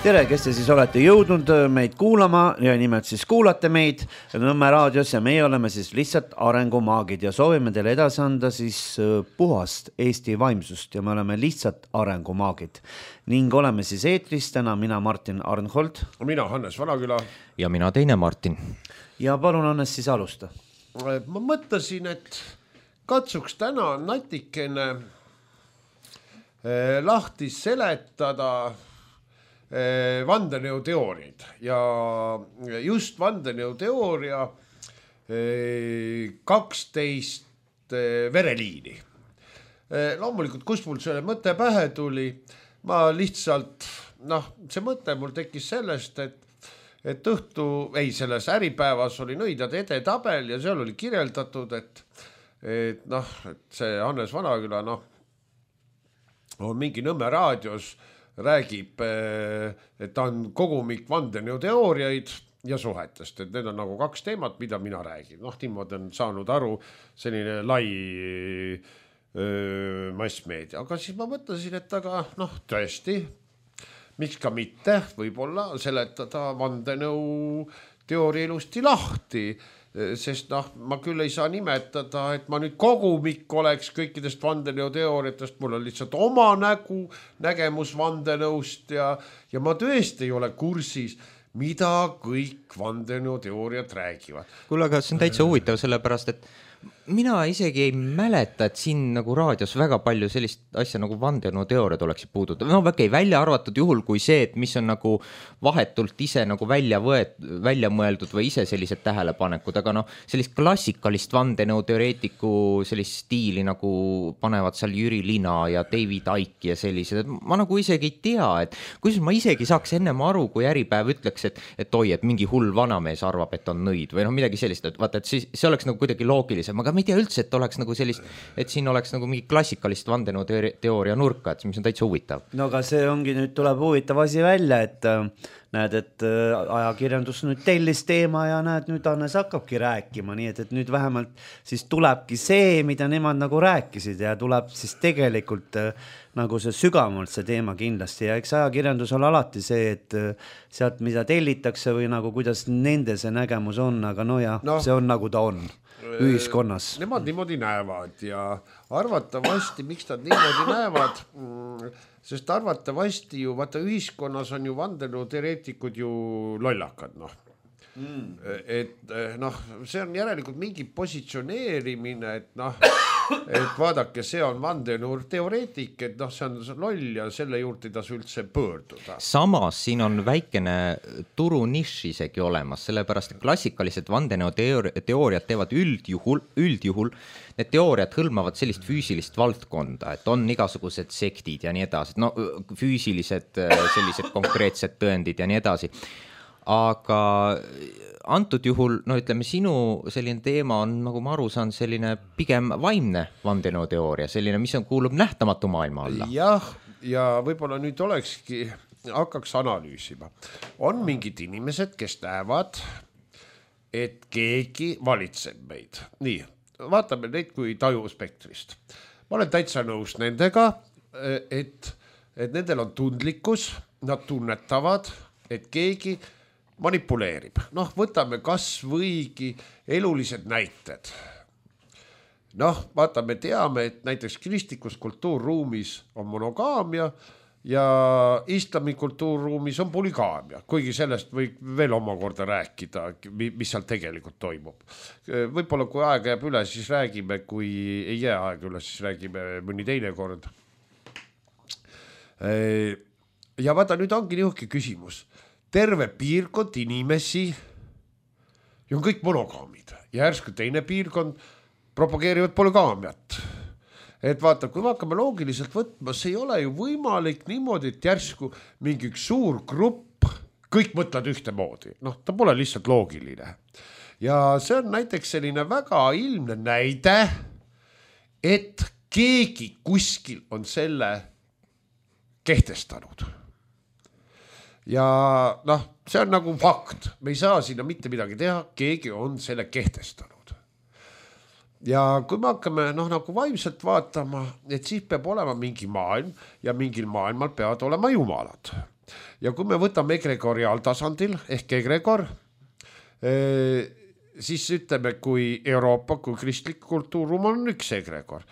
Tere, kes te siis olete jõudnud meid kuulama ja nimelt siis kuulate meid Nõmme raadios ja meie oleme siis lihtsalt arengumaagid ja soovime teile edasi anda siis puhast Eesti vaimsust ja me oleme lihtsalt arengumaagid ning oleme siis eetris täna mina Martin Arnhold. Mina Hannes Vanaküla. Ja mina teine Martin. Ja palun Hannes siis alusta. Ma mõtlesin, et katsuks täna natikene lahti seletada vandenõuteooriaid ja just vandenõuteooria 12 vereliini. Loomulikult, kus mul selle mõte pähe tuli, ma lihtsalt, see mõte mul tekkis sellest, et selles Äripäevas oli Nõidade edetabel ja seal oli kirjeldatud, et see Hannes Vanaküla, on mingi Nõmme raadios räägib, et ta on kogumik vandenõuteooriaid ja suhetest, et need on nagu kaks teemat, mida mina räägin. Niimoodi on saanud aru selline lai massmeedia. Aga siis ma mõtlesin, et aga tõesti, miks ka mitte võib-olla seletada vandenõuteooria ilusti lahti, sest ma küll ei saa nimetada, et ma nüüd kogumik oleks kõikidest vandenõuteooriatest, mul on lihtsalt oma nägemus vandenõust ja ma tõesti ei ole kursis, mida kõik vandenõuteooriad räägivad. Kuule, aga see on täitsa huvitav, sellepärast, et mina isegi ei mäleta, et siin nagu raadios väga palju sellist asja nagu vandenõuteooriad oleksid puudutud. Väike välja arvatud juhul kui see, et mis on nagu vahetult ise nagu välja mõeldud või ise sellised tähelepanekud, aga sellist klassikalist vandenõuteoreetiku sellist stiili nagu panevad seal Jüri Lina ja David Icke ja sellised, et ma nagu isegi ei tea, et kuidas ma isegi saaks ennem aru, kui Äripäev ütleks, et oi, et mingi hull vanamees arvab, et on nõid või midagi sellist, et vaata, et see oleks nagu kuidagi loogilisem, aga ma ei tea üldse, et oleks nagu sellist, et siin oleks nagu mingi klassikalist vandenõuteooria nurka, et mis on täitsa huvitav. No aga see ongi, nüüd tuleb huvitav asi välja, et näed, et ajakirjandus nüüd tellis teema ja näed, nüüd Hannes hakkabki rääkima, nii et nüüd vähemalt siis tulebki see, mida nemad nagu rääkisid ja tuleb siis tegelikult nagu see sügavamalt see teema kindlasti ja eks ajakirjandus on alati see, et sealt mida tellitakse või nagu kuidas nende see nägemus on, aga see on nagu ta on ühiskonnas. Nemad niimoodi näevad ja arvatavasti, miks nad niimoodi näevad, sest arvatavasti ju, vaata ühiskonnas on ju vandenõuteoreetikud ju lollakad, et see on järelikult mingi positsioneerimine, et vaadake, see on vandenõuteoreetik, et see on loll ja selle juurde ei tasu üldse pöörduda. Samas siin on väikene turunišš isegi olemas, sellepärast et klassikalised vandenõuteooriad teevad üldjuhul, need teooriad hõlmavad sellist füüsilist valdkonda, et on igasugused sektid ja nii edasi, füüsilised sellised konkreetsed tõendid ja nii edasi. Aga antud juhul, ütleme, sinu selline teema on, nagu ma aru saan, selline pigem vaimne vandenõuteooria, selline, mis kuulub nähtamatu maailma alla. Jah, ja võib-olla nüüd hakkaks analüüsima. On mingid inimesed, kes näevad, et keegi valitseb meid. Nii, vaatame neid kui tajuspektrist. Ma olen täitsa nõus nendega, et nendel on tundlikkus, nad tunnetavad, et keegi manipuleerib. Võtame kas võigi elulised näited. Vaata, me teame, et näiteks kristlikus kultuurruumis on monogaamia ja islami kultuurruumis on polygaamia, kuigi sellest võib veel omakorda rääkida, mis seal tegelikult toimub. Võib-olla kui aega jääb üle, siis räägime, kui ei jää aega üle, siis räägime mõni teine kord. Ja vaata, nüüd ongi nihuke küsimus. Terve piirkond inimesi ja on kõik monogaamid ja järsku teine piirkond propageerivad polygaamiat. Et vaata, kui me hakkame loogiliselt võtma, see ei ole ju võimalik niimoodi, et järsku mingi üks suur grupp, kõik mõtlevad ühtemoodi. Ta pole lihtsalt loogiline. Ja see on näiteks selline väga ilmne näide, et keegi kuskil on selle kehtestanud. Ja see on nagu fakt, me ei saa sinna mitte midagi teha, keegi on selle kehtestanud. Ja kui me hakkame nagu vaimselt vaatama, et siis peab olema mingi maailm ja mingil maailmal peavad olema jumalad. ja kui me võtame egregoriaaltasandil ehk egregor, siis ütleme, kui Euroopa, kui kristlik kultuurruum on üks egregor.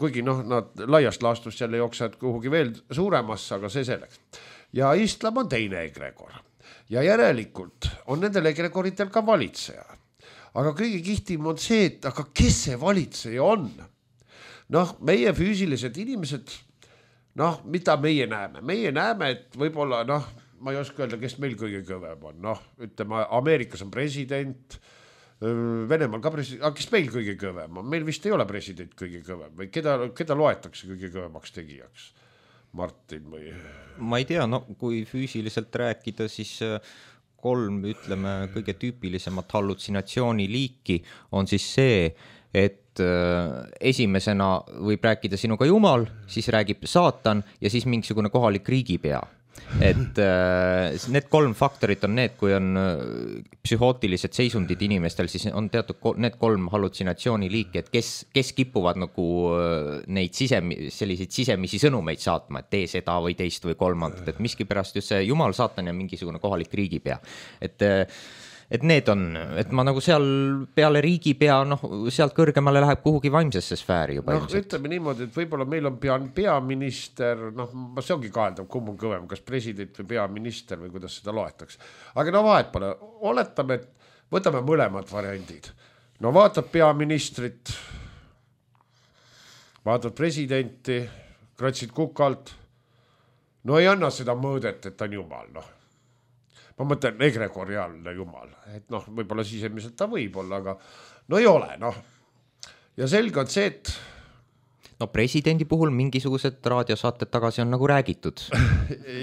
Kuigi nad laiast laastust jälle jooksevad kuhugi veel suuremasse, aga see selleks. Ja islam on teine egregor. Ja järelikult on nendel egregoritel ka valitseja. Aga kõige kihtim on see, et aga kes see valitseja on? Meie füüsilised inimesed, mida meie näeme? Meie näeme, et võib-olla, ma ei oska öelda, kes meil kõige kõvem on. Ütleme, Ameerikas on president, Venemaal ka president, aga kes meil kõige kõvem on? Meil vist ei ole president kõige kõvem või keda loetakse kõige kõvemaks tegijaks? Martin või? Ma ei tea, kui füüsiliselt rääkida, siis 3, ütleme, kõige tüüpilisemat hallutsinatsiooni liiki on siis see, et esimesena võib rääkida sinuga Jumal, siis räägib saatan ja siis mingisugune kohalik riigipea. Et need 3 faktorit on need, kui on psühhootilised seisundid inimestel, siis on teatud need 3 hallutsinatsiooni liiki, et kes kipuvad nagu neid selliseid sisemisi sõnumeid saatma, et tee seda või teist või kolmandat, et miskipärast just see Jumal, saatan ja mingisugune kohalik riigipea. Et need on, et ma nagu seal peale riigipea, sealt kõrgemale läheb kuhugi vaimsesse sfääri juba. Ütleme niimoodi, et võib-olla meil on peaminister, see ongi kaeldav, kumb on kõvem, kas president või peaminister või kuidas seda loetakse. Aga vahet pole, oletame, et võtame mõlemad variandid. Vaatad peaministrit, vaatad presidenti, kratsid kukalt, ei anna seda mõõdet, et ta on Jumal, ma mõtlen egregoriaalne Jumal, et võib-olla sisemiselt ta võib olla, aga ei ole, Ja selge on see, et presidendi puhul mingisugused raadiosaated tagasi on nagu räägitud.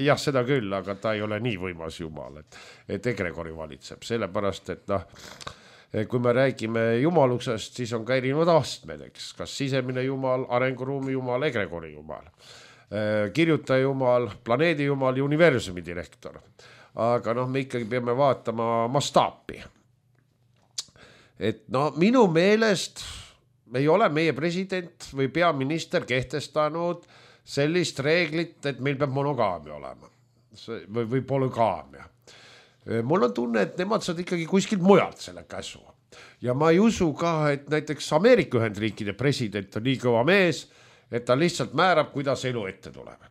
Jah, seda küll, aga ta ei ole nii võimas Jumal, et egregori valitseb, sellepärast, et kui me räägime jumalusest, siis on ka erinevad astmed, eks, kas sisemine Jumal, arenguruumi Jumal, egregori Jumal, kirjutaja Jumal, planeedi Jumal ja universumi direktor. Aga me ikkagi peame vaatama mastaapi. Et minu meelest ei ole meie president või peaminister kehtestanud sellist reeglit, et meil peab monogaamia olema või polügaamia. Mul on tunne, et nemad saad ikkagi kuskilt mujalt selle käsu. Ja ma ei usu ka, et näiteks Ameerika Ühendriikide president on nii kõva mees, et ta lihtsalt määrab, kuidas elu ette tuleb.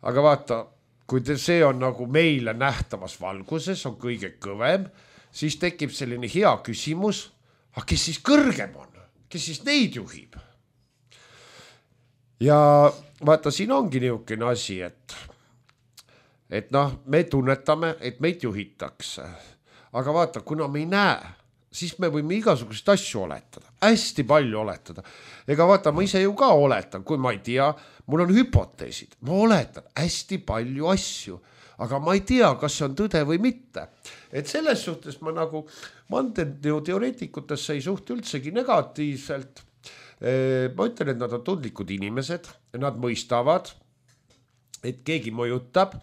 Aga vaata, kui see on nagu meile nähtavas valguses, on kõige kõvem, siis tekib selline hea küsimus, aga kes siis kõrgem on? Kes siis neid juhib? Ja vaata, siin ongi niisugune asi, et me tunnetame, et meid juhitakse. Aga vaata, kuna me ei näe, siis me võime igasuguseid asju oletada, hästi palju oletada. Ega vaata, ma ise ju ka oletan, kui ma ei tea, mul on hüpoteesid, ma oletan hästi palju asju, aga ma ei tea, kas see on tõde või mitte. Et selles suhtes ma nagu vandenõuteoreetikutesse ei suhtu üldsegi negatiivselt. Ma ütlen, et nad on tundlikud inimesed, nad mõistavad, et keegi mõjutab.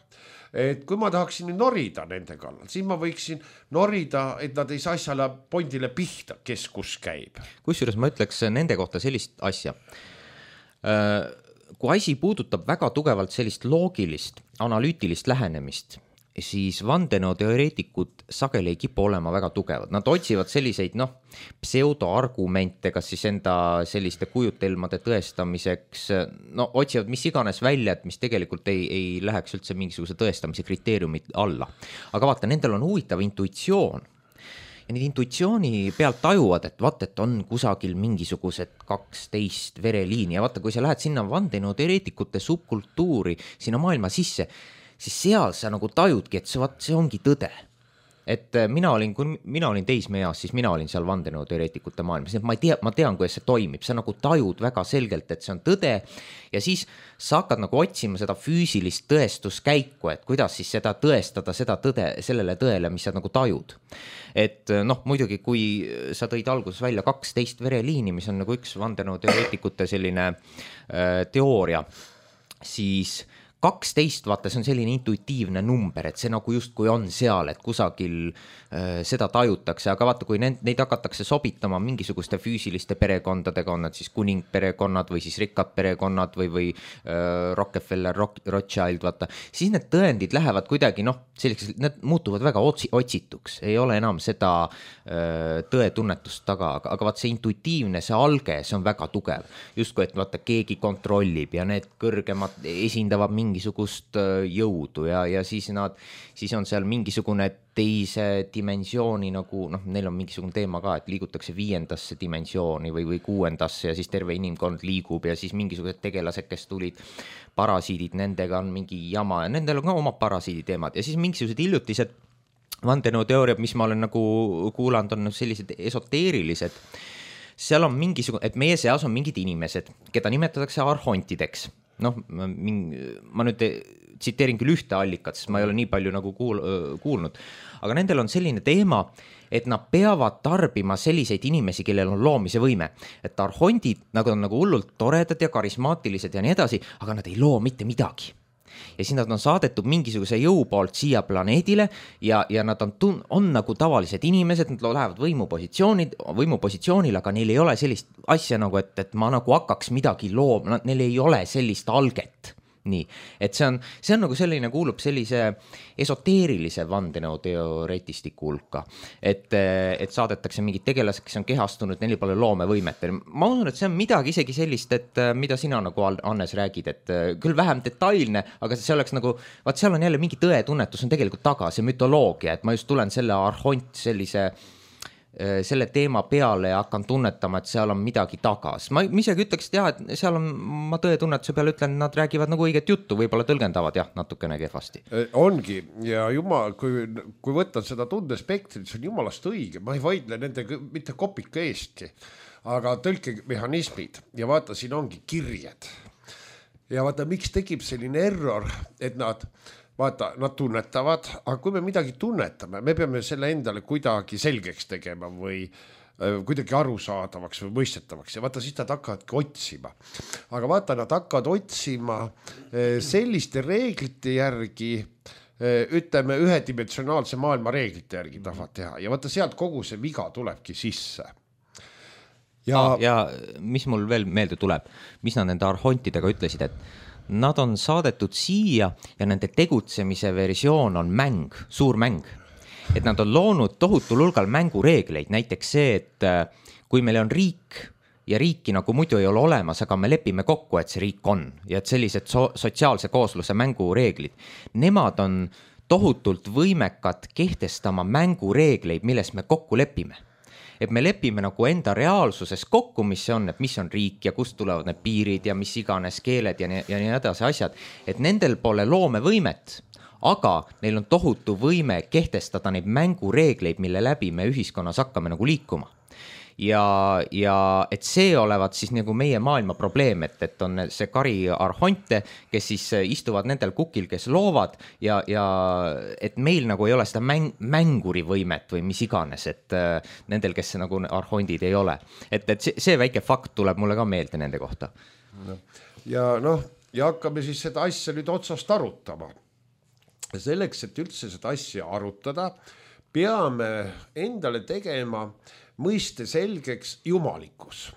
Et kui ma tahaksin norida nende kallal, siis ma võiksin norida, et nad ei saa asjale pondile pihta, kes kus käib. Kusjuures ma ütleks nende kohta sellist asja. Kui asi puudutab väga tugevalt sellist loogilist, analüütilist lähenemist, siis vandenõuteoreetikud sageli ei kipu olema väga tugevad. Nad otsivad selliseid pseudoargumente, kas siis enda selliste kujutelmade tõestamiseks, otsivad mis iganes välja, et mis tegelikult ei läheks üldse mingisuguse tõestamise kriteeriumid alla. Aga vaata, nendel on huvitav intuitsioon. Ja need intuitsiooni pealt tajuvad, et on kusagil mingisugused 12 vereliini ja vaata, kui sa lähed sinna vandenõuteoreetikute subkultuuri, sinna maailma sisse, siis seal sa nagu tajudki, et see ongi tõde. Et kui mina olin teismeeas, siis mina olin seal vandenõuteoreetikute maailmas, nii et ma tean, kuidas see toimib, sa nagu tajud väga selgelt, et see on tõde ja siis sa hakkad nagu otsima seda füüsilist tõestuskäiku, et kuidas siis seda tõestada, seda tõde, sellele tõele, mis sa nagu tajud. Et muidugi, kui sa tõid alguses välja 12 vereliini, mis on nagu üks vandenõuteoreetikute selline teooria, siis 12, vaata, see on selline intuitiivne number, et see nagu justkui on seal, et kusagil seda tajutakse, aga vaata, kui neid hakatakse sobitama mingisuguste füüsiliste perekondadega, on nad siis kuningperekonnad või siis rikkad perekonnad või Rockefeller, Rothschild, vaata, siis need tõendid lähevad kuidagi, selliseks, need muutuvad väga otsituks, ei ole enam seda tõetunnetust taga, aga vaata see intuitiivne, see alge, see on väga tugev. Justkui, et vaata, keegi kontrollib ja need kõrgemad esindavad mingisugust jõudu ja siis on seal mingisugune teise dimensiooni nagu, neil on mingisugune teema ka, et liigutakse 5. dimensiooni või 6. ja siis terve inimkond liigub ja siis mingisugused tegelased, kes tulid, parasiidid, nendega on mingi jama ja nendel on ka oma parasiidi teemad ja siis mingisugused hiljutised vandenõuteooriad, mis ma olen nagu kuulanud, on sellised esoteerilised. Seal on mingisugune, et meie seas on mingid inimesed, keda nimetatakse arhontideks. Ma nüüd tsiteerin küll ühte allikat, sest ma ei ole nii palju nagu kuulnud, aga nendel on selline teema, et nad peavad tarbima selliseid inimesi, kellel on loomise võime, et arhondid on nagu hullult toredad ja karismaatilised ja nii edasi, aga nad ei loo mitte midagi. Ja siis nad on saadetud mingisuguse jõu poolt siia planeedile ja nad on nagu tavalised inimesed, nad lähevad võimupositsioonil, aga neil ei ole sellist asja nagu, et ma nagu hakkaks midagi looma, neil ei ole sellist alget. Nii, et see on nagu selline, kuulub sellise esoteerilise vandenõuteoreetistiku hulka, et saadetakse mingid tegelased, kes on kehastunud, neil pole loomevõimet. Ma usun, et see on midagi isegi sellist, et mida sina nagu Hannes räägid, et küll vähem detailne, aga see oleks nagu, vaat seal on jälle mingi tõetunnetus on tegelikult taga, see mütoloogia, et ma just tulen selle arhont selle teema peale ja hakkan tunnetama, et seal on midagi taga. Ma isegi ütleks, et et seal on, ma tõetunnetuse peale ütlen, nad räägivad nagu õiget juttu, võib-olla tõlgendavad natukene kehvasti. Ongi ja jumal, kui võtta seda tundespektrit, see on jumalast õige, ma ei vaidle nendega mitte kopika eestki, aga tõlkemehhanismid ja vaata, siin ongi kirjed ja vaata, miks tekib selline error, et nad tunnetavad, aga kui me midagi tunnetame, me peame selle endale kuidagi selgeks tegema või kuidagi arusaadavaks või mõistetavaks ja vaata, siis nad hakkavadki otsima. Aga vaata, nad hakkavad otsima selliste reeglite järgi, ütleme ühedimensionaalse maailma reeglite järgi tahavad teha ja vaata, sealt kogu see viga tulebki sisse. Ja mis mul veel meelde tuleb, mis nad nende arhontidega ütlesid, et nad on saadetud siia ja nende tegutsemise versioon on mäng, suur mäng. Et nad on loonud tohutul hulgal mängureegleid, näiteks see, et kui meil on riik ja riiki nagu muidu ei ole olemas, aga me lepime kokku, et see riik on ja et sellised sotsiaalse koosluse mängureeglid, nemad on tohutult võimekad kehtestama mängureegleid, milles me kokku lepime. Et me lepime nagu enda reaalsuses kokku, mis see on, et mis on riik ja kust tulevad need piirid ja mis iganes keeled ja nii edasi asjad, et nendel pole loomevõimet, aga neil on tohutu võime kehtestada neid mängureegleid, mille läbi me ühiskonnas hakkame nagu liikuma. Ja et see olevat siis nagu meie maailma probleem, et on see kari arhonte, kes siis istuvad nendel kukil, kes loovad ja et meil nagu ei ole seda mänguri võimet või mis iganes, et nendel, kes nagu arhondid ei ole. Et see väike fakt tuleb mulle ka meelde nende kohta. Ja hakkame siis seda asja nüüd otsast arutama. Selleks, et üldse seda asja arutada, peame endale tegema mõiste selgeks jumalikkus.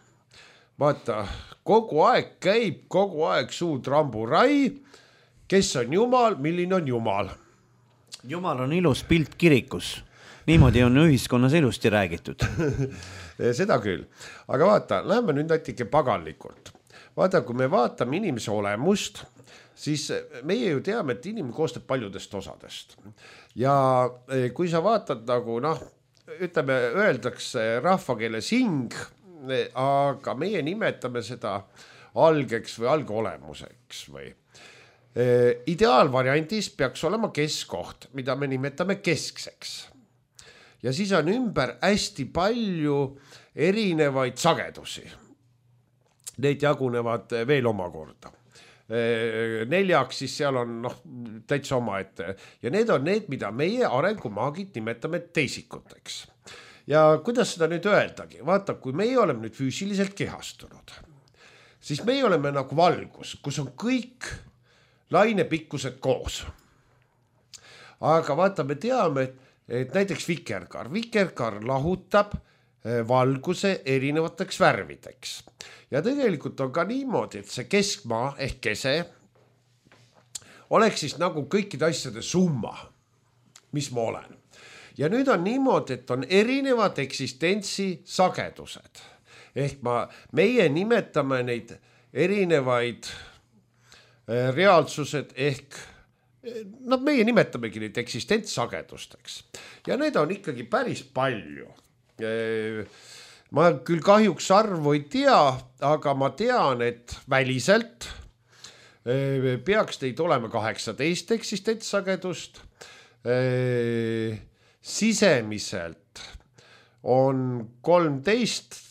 Vaata, kogu aeg suud ramburai, kes on jumal, milline on jumal. Jumal on ilus pilt kirikus. Niimoodi on ühiskonnas ilusti räägitud. Seda küll. Aga vaata, läheme nüüd natuke paganlikult. Vaata, kui me vaatame inimese olemust, siis meie ju teame, et inimene koostab paljudest osadest. Ja kui sa vaatad nagu, ütleme, öeldakse rahvakeeles hing, aga meie nimetame seda algeks või algolemuseks või. Ideaalvariandis peaks olema keskkoht, mida me nimetame keskseks. Ja siis on ümber hästi palju erinevaid sagedusi. Need jagunevad veel omakorda. 4, siis seal on täitsa oma ette ja need on need, mida meie arengumaagid nimetame teisikuteks. Ja kuidas seda nüüd öeldagi? Vaata, kui meie oleme nüüd füüsiliselt kehastunud, siis meie oleme nagu valgus, kus on kõik lainepikkused koos. Aga vaata, me teame, et näiteks vikerkaar lahutab valguse erinevateks värvideks. Ja tegelikult on ka niimoodi, et see keskmaa ehk kese oleks siis nagu kõikide asjade summa, mis ma olen. Ja nüüd on niimoodi, et on erinevad eksistentsi sagedused. Ehk meie nimetame neid erinevaid reaalsused ehk meie nimetamegi neid eksistentsagedusteks. Ja need on ikkagi päris palju. Ma küll kahjuks arvu ei tea, aga ma tean, et väliselt peaks teid olema 18 eksistentsagedust. Sisemiselt on 13,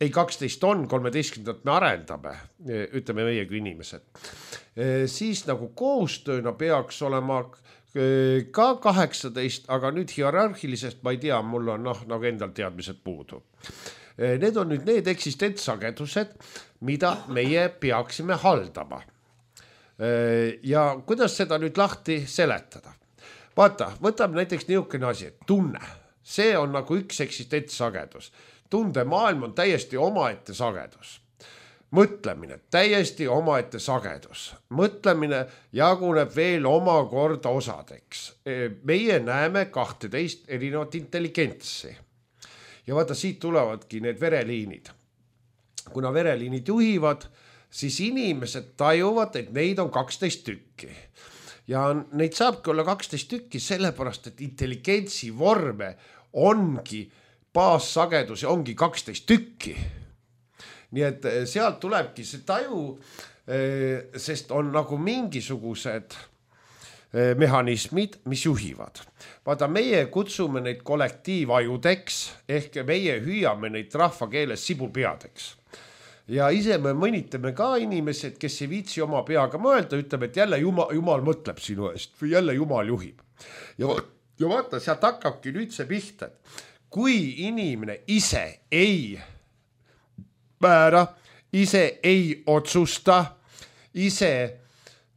ei 12 on, 13 me arendame, ütleme meie kui inimesed. Siis nagu koostööna peaks olema ka 18, aga nüüd hierarhilisest ma ei tea, mul on nagu endal teadmised puudu. Need on nüüd need eksistentsagedused, mida meie peaksime haldama. Ja kuidas seda nüüd lahti seletada? Vaata, võtame näiteks niisugune asi, et tunne. See on nagu üks eksistentsagedus. Tundemaailm on täiesti omaette sagedus. Mõtlemine, täiesti omaette sagedus. Mõtlemine jaguneb veel omakorda osadeks. Meie näeme 12 erinevat intelligentsi. Ja vaata, siit tulevadki need vereliinid. Kuna vereliinid juhivad, siis inimesed tajuvad, et neid on 12 tükki. Ja neid saabki olla 12 tükki sellepärast, et intelligentsi vorme ongi baassagedus ja ongi 12 tükki. Nii et sealt tulebki see taju, sest on nagu mingisugused mehhanismid, mis juhivad. Vaata, meie kutsume neid kollektiivajudeks, ehk meie hüüame neid rahvakeeles sibulpeadeks. Ja ise me mõnitame ka inimesed, kes ei viitsi oma peaga mõelda, ütleme, et jälle Jumal mõtleb sinu eest või jälle Jumal juhib. Ja vaata, sealt hakkabki nüüd see pihta, et kui inimene ise ei määra, ise ei otsusta, ise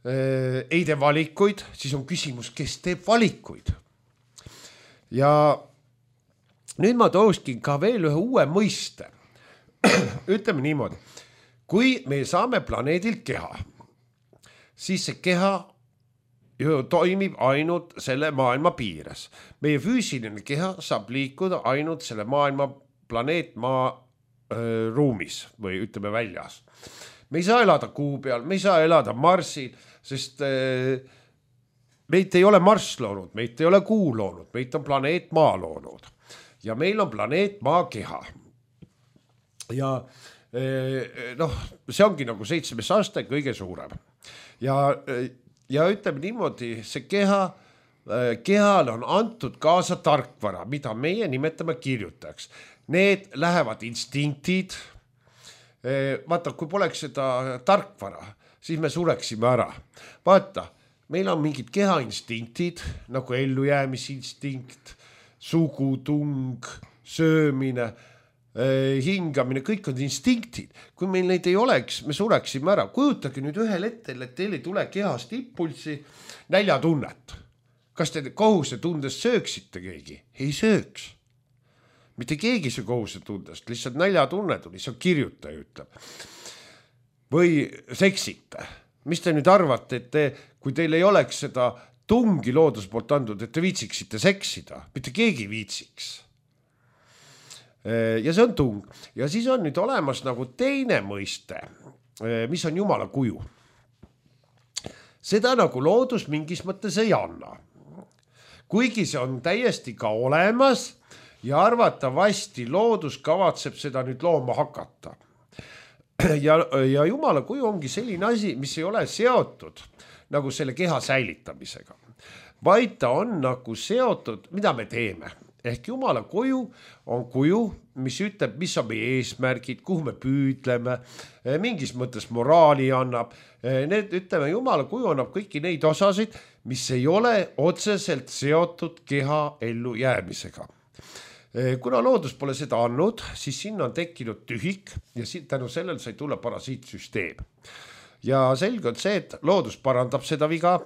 ei tee valikuid, siis on küsimus, kes teeb valikuid. Ja nüüd ma tooskin ka veel ühe uue mõiste. Ütleme niimoodi, kui me saame planeedilt keha, siis see keha toimib ainult selle maailma piires. Meie füüsiline keha saab liikuda ainult selle maailma planeetmaa ruumis või ütleme väljas. Me ei saa elada kuu peal, me ei saa elada Marsil, sest meid ei ole Marss loonud, meid ei ole kuu loonud, meid on planeet Maa loonud. Ja meil on planeet Maa keha. Ja see ongi nagu 7. aste kõige suurem. Ja ütleme niimoodi, see kehal on antud kaasa tarkvara, mida meie nimetame kirjutajaks. Need lähevad instinktid. Vaata, kui poleks seda tarkvara, siis me sureksime ära. Vaata, meil on mingid kehainstinktid, nagu ellujäämisinstinkt, sugutung, söömine, hingamine, kõik on instinktid. Kui meil neid ei oleks, me sureksime ära. Kujutage nüüd ühel hetkel, et teil ei tule kehast impulsi näljatunnet. Kas te kohusetundes sööksite keegi? Ei sööks. Mitte keegi see kohusetundest, lihtsalt näljatunne tuli, see on kirjutaja ütleb. Või seksite. Mis te nüüd arvate, et kui teil ei oleks seda tungi loodus poolt andnud, et te viitsiksite seksida? Mitte keegi viitsiks. Ja see on tung. Ja siis on nüüd olemas nagu teine mõiste, mis on Jumala kuju. Seda nagu loodus mingis mõttes ei anna. Kuigi see on täiesti ka olemas ja arvatavasti loodus kavatseb seda nüüd looma hakata. Ja Jumala kuju ongi selline asi, mis ei ole seotud nagu selle keha säilitamisega, vaid ta on nagu seotud, mida me teeme. Ehk Jumala kuju on kuju, mis ütleb, mis on meie eesmärgid, kuhu me püüdleme, mingis mõttes moraali annab. Need, ütleme, Jumala kuju annab kõiki neid osasid, mis ei ole otseselt seotud keha ellu jäämisega. Kuna loodus pole seda andnud, siis sinna on tekkinud tühik ja tänu sellel sai tulla parasiitsüsteem. ja selge on see, et loodus parandab seda viga.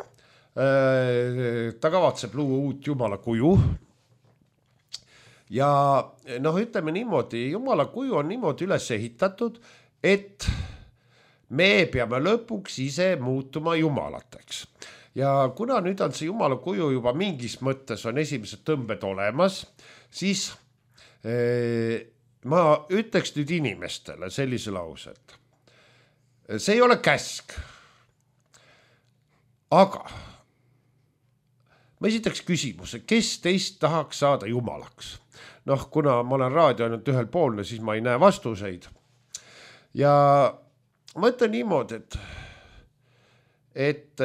Ta kavatseb luua uut Jumala kuju. Ja noh, ütleme niimoodi, Jumala kuju on niimoodi üles ehitatud, et me peame lõpuks ise muutuma jumalateks. Ja kuna nüüd on see Jumala kuju juba mingis mõttes on esimesed tõmbed olemas, siis ma ütleks nüüd inimestele sellise lause, et see ei ole käsk. Aga ma esitaks küsimuse, kes teist tahaks saada jumalaks? Noh, kuna ma olen raadio ainult ühel poolne, siis ma ei näe vastuseid. Ja ma ütlen niimoodi, et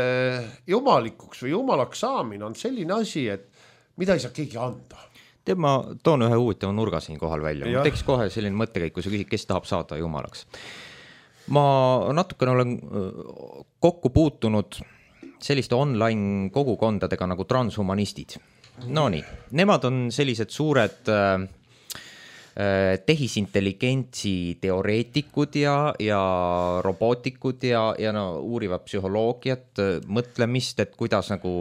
jumalikuks või jumalaks saamine on selline asi, et mida ei saa keegi anda. Ma toon ühe huvitava nurga siin kohal välja. Ma teeks kohe selline mõttekäik, kui sa küsid, kes tahab saada jumalaks. Ma natukene olen kokku puutunud selliste online kogukondadega nagu transhumanistid. No nii, nemad on sellised suured tehisintelligentsi teoreetikud ja robootikud ja no, uurivad psühholoogiat, mõtlemist, et kuidas nagu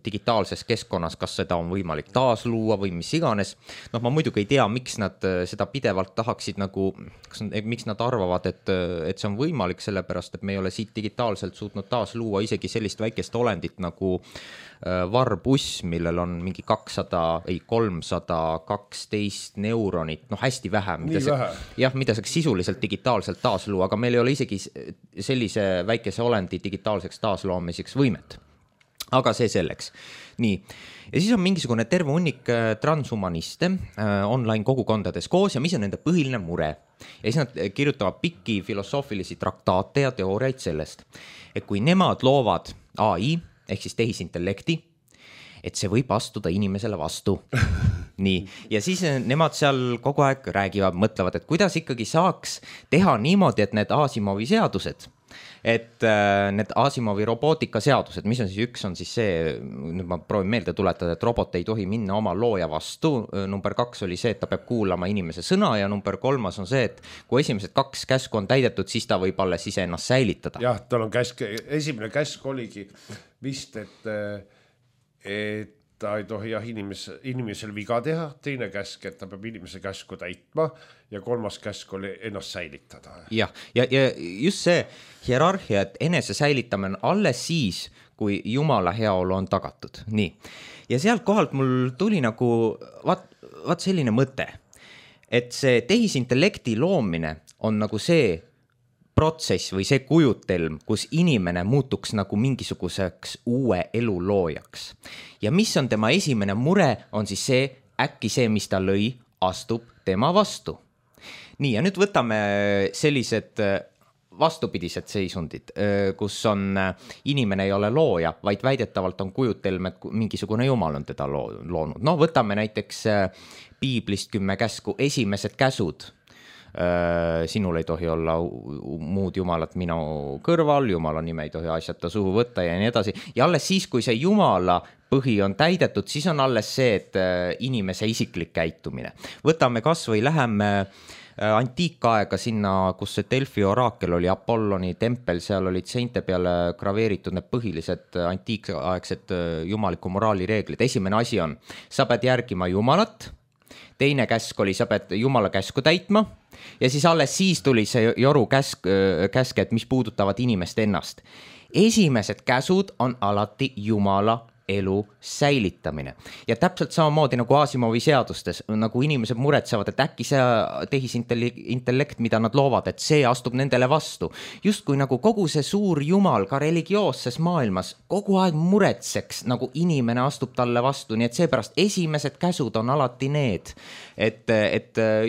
digitaalses keskkonnas, kas seda on võimalik taasluua või mis iganes. Noh, ma muidugi ei tea, miks nad seda pidevalt tahaksid nagu, miks nad arvavad, et see on võimalik, sellepärast, et me ei ole siit digitaalselt suutnud taasluua isegi sellist väikest olendit nagu varbuss, millel on mingi 312 neuronit, noh hästi vähe, mida saaks sisuliselt digitaalselt taasluua, aga meil ei ole isegi sellise väikese olendi digitaalseks taasloomiseks võimet. Aga see selleks. Nii. Ja siis on mingisugune terve hunnik transhumaniste online kogukondades koos ja mis on nende põhiline mure. Ja siis nad kirjutavad pikki filosoofilisi traktaate ja teooriaid sellest, et kui nemad loovad AI, ehk siis tehisintellekti, et see võib astuda inimesele vastu. Nii. Ja siis nemad seal kogu aeg räägivad, mõtlevad, et kuidas ikkagi saaks teha niimoodi, et need Asimovi seadused, et need Asimovi robootika seadused, mis on siis üks, on siis see, nüüd ma proovin meelde tuletada, et robot ei tohi minna oma looja vastu. Number 2 oli see, et ta peab kuulama inimese sõna ja number 3 on see, et kui esimesed 2 käsku on täidetud, siis ta võib alles ise ennast säilitada. Jah, tal on käsk, esimene käsk oligi vist, et ta ei tohi inimesel viga teha, teine käsk, et ta peab inimese käsku täitma ja 3. käsk oli ennast säilitada. Ja just see hierarhia, et enese säilitamine alles siis, kui Jumala heaolu on tagatud. Nii. Ja sealt kohalt mul tuli nagu vaat selline mõte, et see tehisintellekti loomine on nagu see protsess või see kujutelm, kus inimene muutuks nagu mingisuguseks uue elu loojaks. Ja mis on tema esimene mure, on siis see, äkki see, mis ta lõi, astub tema vastu. Nii, ja nüüd võtame sellised vastupidised seisundid, kus on inimene ei ole looja, vaid väidetavalt on kujutelm, et mingisugune jumal on teda loonud. No võtame näiteks Piiblist 10 käsku, esimesed käsud. Sinul ei tohi olla muud jumalat minu kõrval, Jumala nime ei tohi asjata suhu võtta ja nii edasi. Ja alles siis, kui see Jumala põhi on täidetud, siis on alles see, et inimese isiklik käitumine. Võtame kas või läheme antiikaega sinna, kus see Delfi oraakel oli Apolloni tempel, seal olid seinte peale graveeritud need põhilised antiikaegsed jumaliku moraali reeglid. Esimene asi on, sa pead järgima Jumalat, teine käsk oli, sa pead Jumala käsku täitma ja siis alles siis tuli see joru käske, et mis puudutavad inimest ennast. Esimesed käsud on alati Jumala elu säilitamine. Ja täpselt samamoodi nagu Asimovi seadustes, nagu inimesed muretsevad, et äkki see tehisintellekt, mida nad loovad, et see astub nendele vastu. Just kui nagu kogu see suur Jumal ka religioosses maailmas kogu aeg muretseks, nagu inimene astub talle vastu, nii et seepärast esimesed käsud on alati need, et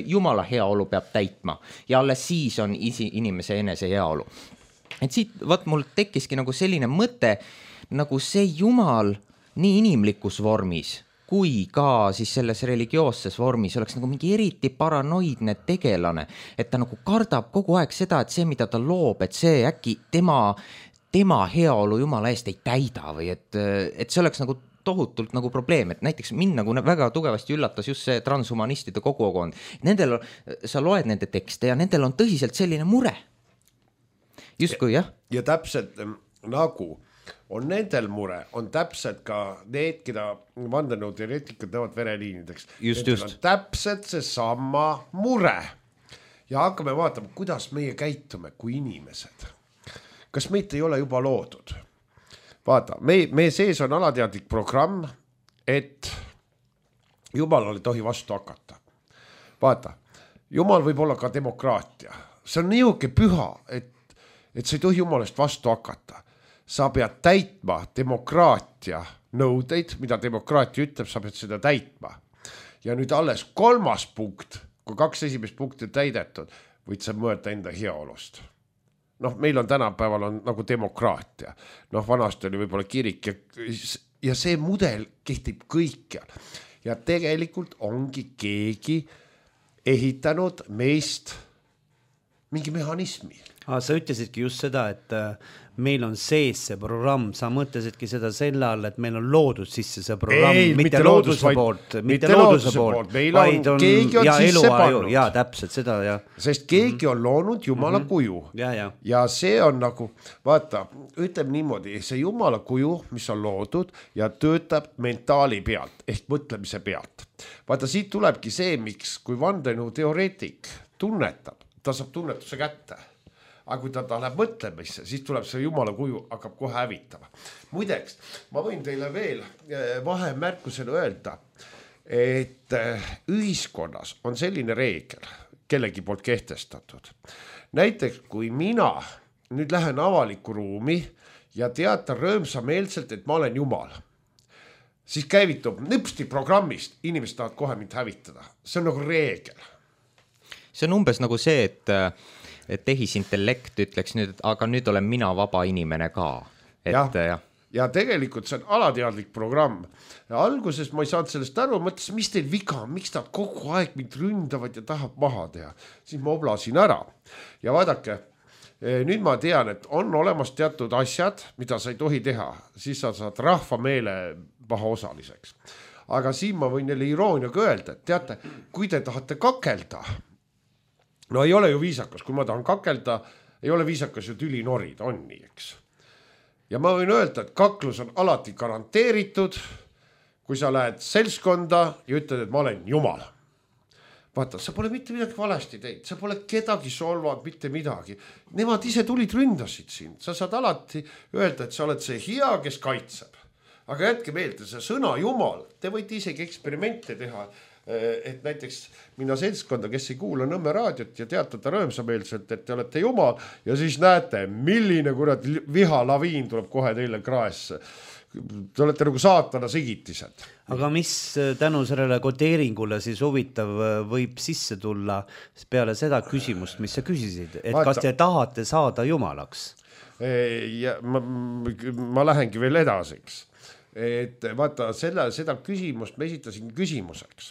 Jumala heaolu peab täitma ja alles siis on inimese enese heaolu. Et siit mul tekkiski nagu selline mõte, nagu see Jumal nii inimlikus vormis kui ka siis selles religioosses vormis oleks nagu mingi eriti paranoidne tegelane, et ta nagu kardab kogu aeg seda, et see, mida ta loob, et see äkki tema heaolu Jumala eest ei täida või et see oleks nagu tohutult nagu probleem, et näiteks mind nagu väga tugevasti üllatas just see transhumanistide kogukond. Sa loed nende tekste ja nendel on tõsiselt selline mure. justkui jah. Ja täpselt nagu on nendel mure, on täpselt ka need, keda vandenõuteoreetikud näevad vereliinideks. Just. On täpselt see sama mure. Ja hakkame vaatama, kuidas meie käitume kui inimesed. Kas meid ei ole juba loodud? Vaata, meie sees on alateadlik programm, et Jumalal ei tohi vastu hakata. Vaata, Jumal võib olla ka demokraatia. See on niuke püha, et sa ei tohi Jumalast vastu hakata. Sa pead täitma demokraatia nõudeid, mida demokraatia ütleb, sa pead seda täitma. Ja nüüd alles 3. punkt, kui 2 esimest punkti täidetud, võid sa mõelda enda heaolust. Meil on tänapäeval on nagu demokraatia. Vanasti oli võib-olla kirik ja see mudel kehtib kõikjal. Ja tegelikult ongi keegi ehitanud meist mingi mehhanismi. Sa ütlesidki just seda, et meil on sees see programm, sa mõtlesidki seda selle all, et meil on loodud sisse see programm, mitte looduse poolt, meil on, keegi on sisse pannud. Ja täpselt seda, ja. Sest keegi on loonud Jumala kuju. Ja see on nagu, vaata, ütleme niimoodi, see Jumala kuju, mis on loodud ja töötab mentaali pealt, ehk mõtlemise pealt. Vaata, siit tulebki see, miks, kui vandenõuteoreetik tunnetab, ta saab tunnetuse kätte. Aga kui ta läheb mõtlemisse, siis tuleb see Jumala kuju, hakkab kohe hävitama. Muideks, ma võin teile veel vahemärkusele öelda, et ühiskonnas on selline reegel, kellegi poolt kehtestatud. Näiteks, kui mina nüüd lähen avalikku ruumi ja teatan rõõmsameelselt, et ma olen Jumal, siis käivitub nüpsti programmist, inimesed tahavad kohe mind hävitada. See on nagu reegel. See on umbes nagu see, et tehisintellekt ütleks nüüd, aga nüüd olen mina vaba inimene ka. Ja tegelikult see on alateadlik programm. Ja alguses ma ei saanud sellest aru, mõtlesin, mis teil viga, miks nad kogu aeg mind ründavad ja tahab maha teha. Siis ma oblasin ära. Ja vaadake, nüüd ma tean, et on olemas teatud asjad, mida sa ei tohi teha. Siis sa saad rahva meele paha osaliseks. Aga siin ma võin neile irooniaga öelda, et teate, kui te tahate kakelda, no ei ole ju viisakas, kui ma tahan kakelda, ei ole viisakas ju tüli norida, on nii, eks. Ja ma võin öelda, et kaklus on alati garanteeritud, kui sa lähed selskonda ja ütled, et ma olen Jumal. Vaata, sa pole mitte midagi valesti teid, sa pole kedagi solvanud, mitte midagi. Nemad ise tulid ründasid siin, sa saad alati öelda, et sa oled see hea, kes kaitseb. Aga jätke meelde, see sõna Jumal, te võite isegi eksperimente teha, et näiteks minna selskonda, kes ei kuula Nõmme raadiot ja teatada rõõmsameelselt, et te olete Jumal ja siis näete, milline kurat vihalaviin tuleb kohe teile kraesse. Te olete nagu saatana sigitised. Aga mis tänu sellele kodeeringule siis huvitav võib sisse tulla peale seda küsimust, mis sa küsisid, et kas te tahate saada Jumalaks? Ja ma lähengi veel edasiks. Et vaata, seda küsimust me esitasin küsimuseks,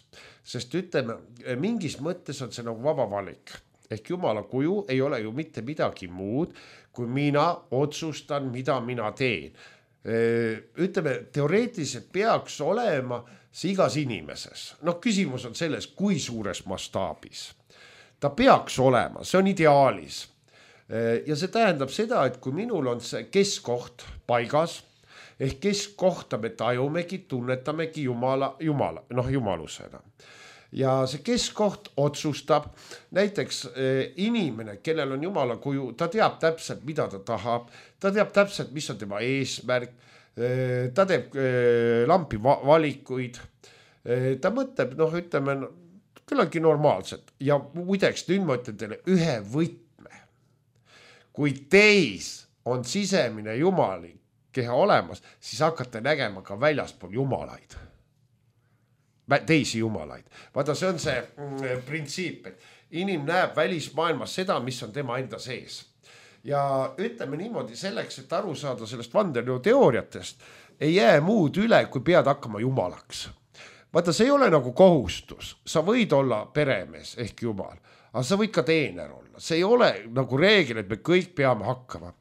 sest ütleme, mingis mõttes on see nagu vaba valik. Ehk Jumala kuju ei ole ju mitte midagi muud, kui mina otsustan, mida mina teen. Ütleme, teoreetiliselt peaks olema see igas inimeses. Küsimus on selles, kui suures mastaabis. Ta peaks olema, see on ideaalis. Ja see tähendab seda, et kui minul on see keskkoht paigas, ehk keskkohta me tajumegi, tunnetamegi jumalusena. Ja see keskkoht otsustab, näiteks inimene, kellel on Jumala kuju, ta teab täpselt, mida ta tahab, ta teab täpselt, mis on tema eesmärk, ta teeb lampi valikuid, ta mõtleb, ütleme, küllaltki normaalselt. Ja muideks, nüüd ma ütlen teile ühe võtme. Kui teis on sisemine jumalik keha olemas, siis hakkate nägema ka väljaspool jumalaid. Teisi jumalaid. Vaata, see on see printsiip, et inim näeb välismaailmas seda, mis on tema enda sees. Ja ütleme niimoodi selleks, et aru saada sellest vandenõuteooriatest, ei jää muud üle, kui pead hakkama jumalaks. Vaata, see ei ole nagu kohustus. Sa võid olla peremees ehk jumal, aga sa võid ka teener olla. See ei ole nagu reegel, et me kõik peame hakkama.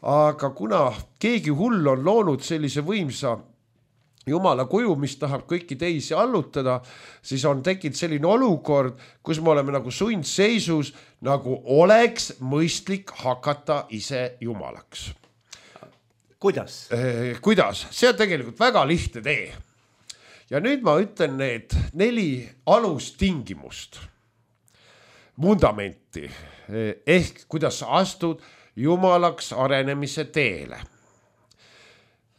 Aga kuna keegi hull on loonud sellise võimsa Jumala kuju, mis tahab kõiki teisi allutada, siis on tekkinud selline olukord, kus me oleme nagu sundseisus, nagu oleks mõistlik hakata ise jumalaks. Kuidas? Kuidas? See on tegelikult väga lihtne tee. Ja nüüd ma ütlen need 4 alustingimust, vundamenti, ehk kuidas sa astud jumalaks arenemise teele.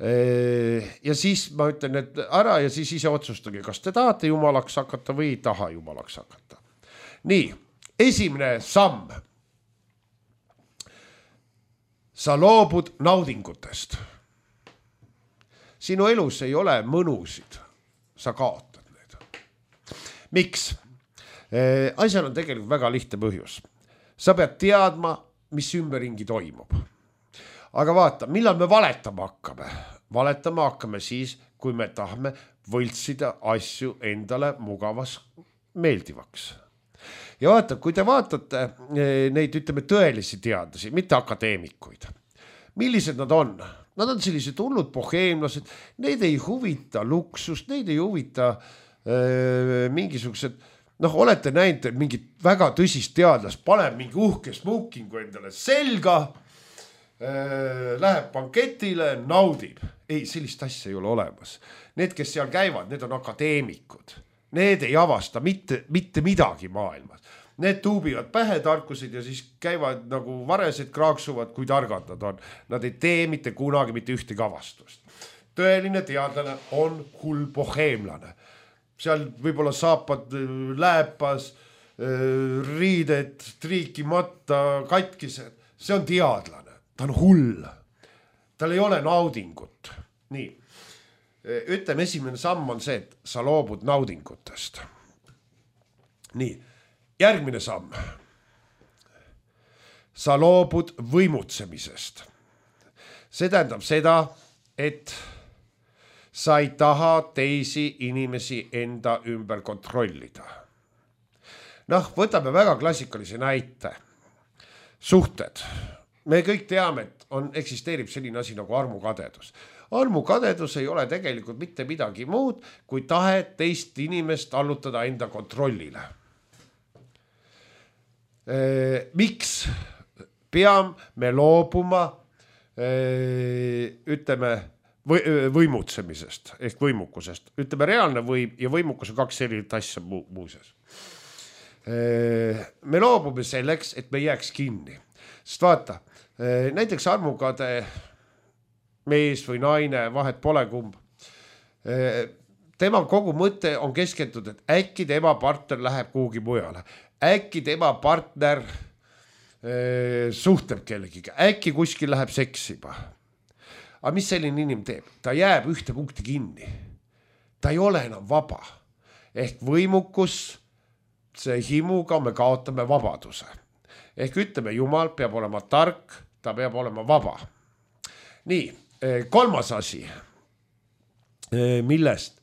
Ja siis ma ütlen need ära ja siis ise otsustage, kas te tahate jumalaks hakata või ei taha jumalaks hakata. Nii, esimene samm. Sa loobud naudingutest. Sinu elus ei ole mõnusid. Sa kaotad need. Miks? Asjal on tegelikult väga lihtne põhjus. Sa pead teadma, mis ümberringi toimub. Aga vaata, millal me valetama hakkame? Valetama hakkame siis, kui me tahame võltsida asju endale mugavas meeldivaks. Ja vaata, kui te vaatate neid, ütleme, tõelisi teadlasi, mitte akadeemikuid. Millised nad on? Nad on sellised hullud boheemlased, neid ei huvita luksust, neid ei huvita mingisugused, olete näinud mingit väga tõsist teadlast, paneb mingi uhke smokingu endale selga, läheb banketile, naudib. Ei, sellist asja ei ole olemas. Need, kes seal käivad, need on akadeemikud. Need ei avasta mitte midagi maailmas. Need tuubivad pähe tarkused ja siis käivad nagu varesed kraaksuvad, kui targad nad on. Nad ei tee mitte kunagi mitte ühtegi avastust. Tõeline teadlane on hull boheemlane. Seal võib-olla saapad lääpas, riided, triikimatta, katkised. See on teadlane. Ta on hull. Tal ei ole naudingut. Nii. Ütleme, esimene samm on see, et sa loobud naudingutest. Nii. Järgmine samm. Sa loobud võimutsemisest. See tähendab seda, et sa ei taha teisi inimesi enda ümber kontrollida. Võtame väga klassikalise näite. Suhted. Me kõik teame, et eksisteerib selline asi nagu armukadedus. Armukadedus ei ole tegelikult mitte midagi muud, kui tahe teist inimest allutada enda kontrollile. Miks peame loobuma, ütleme, võimutsemisest ehk võimukusest? Ütleme, reaalne võim ja võimukus on 2 erinevat asja muuseas. Me loobume selleks, et me jääks kinni. Sest vaata, näiteks armukade mees või naine, vahet pole kumb. Tema kogu mõte on keskendunud, et äkki tema partner läheb kuhugi mujale. Äkki tema partner suhtleb kellegiga. Äkki kuskil läheb seksima. Aga mis selline inimene teeb? Ta jääb ühte punkti kinni. Ta ei ole enam vaba. Ehk võimukus, see himuga me kaotame vabaduse. Ehk ütleme, Jumal peab olema tark, ta peab olema vaba. Nii, 3. asi, millest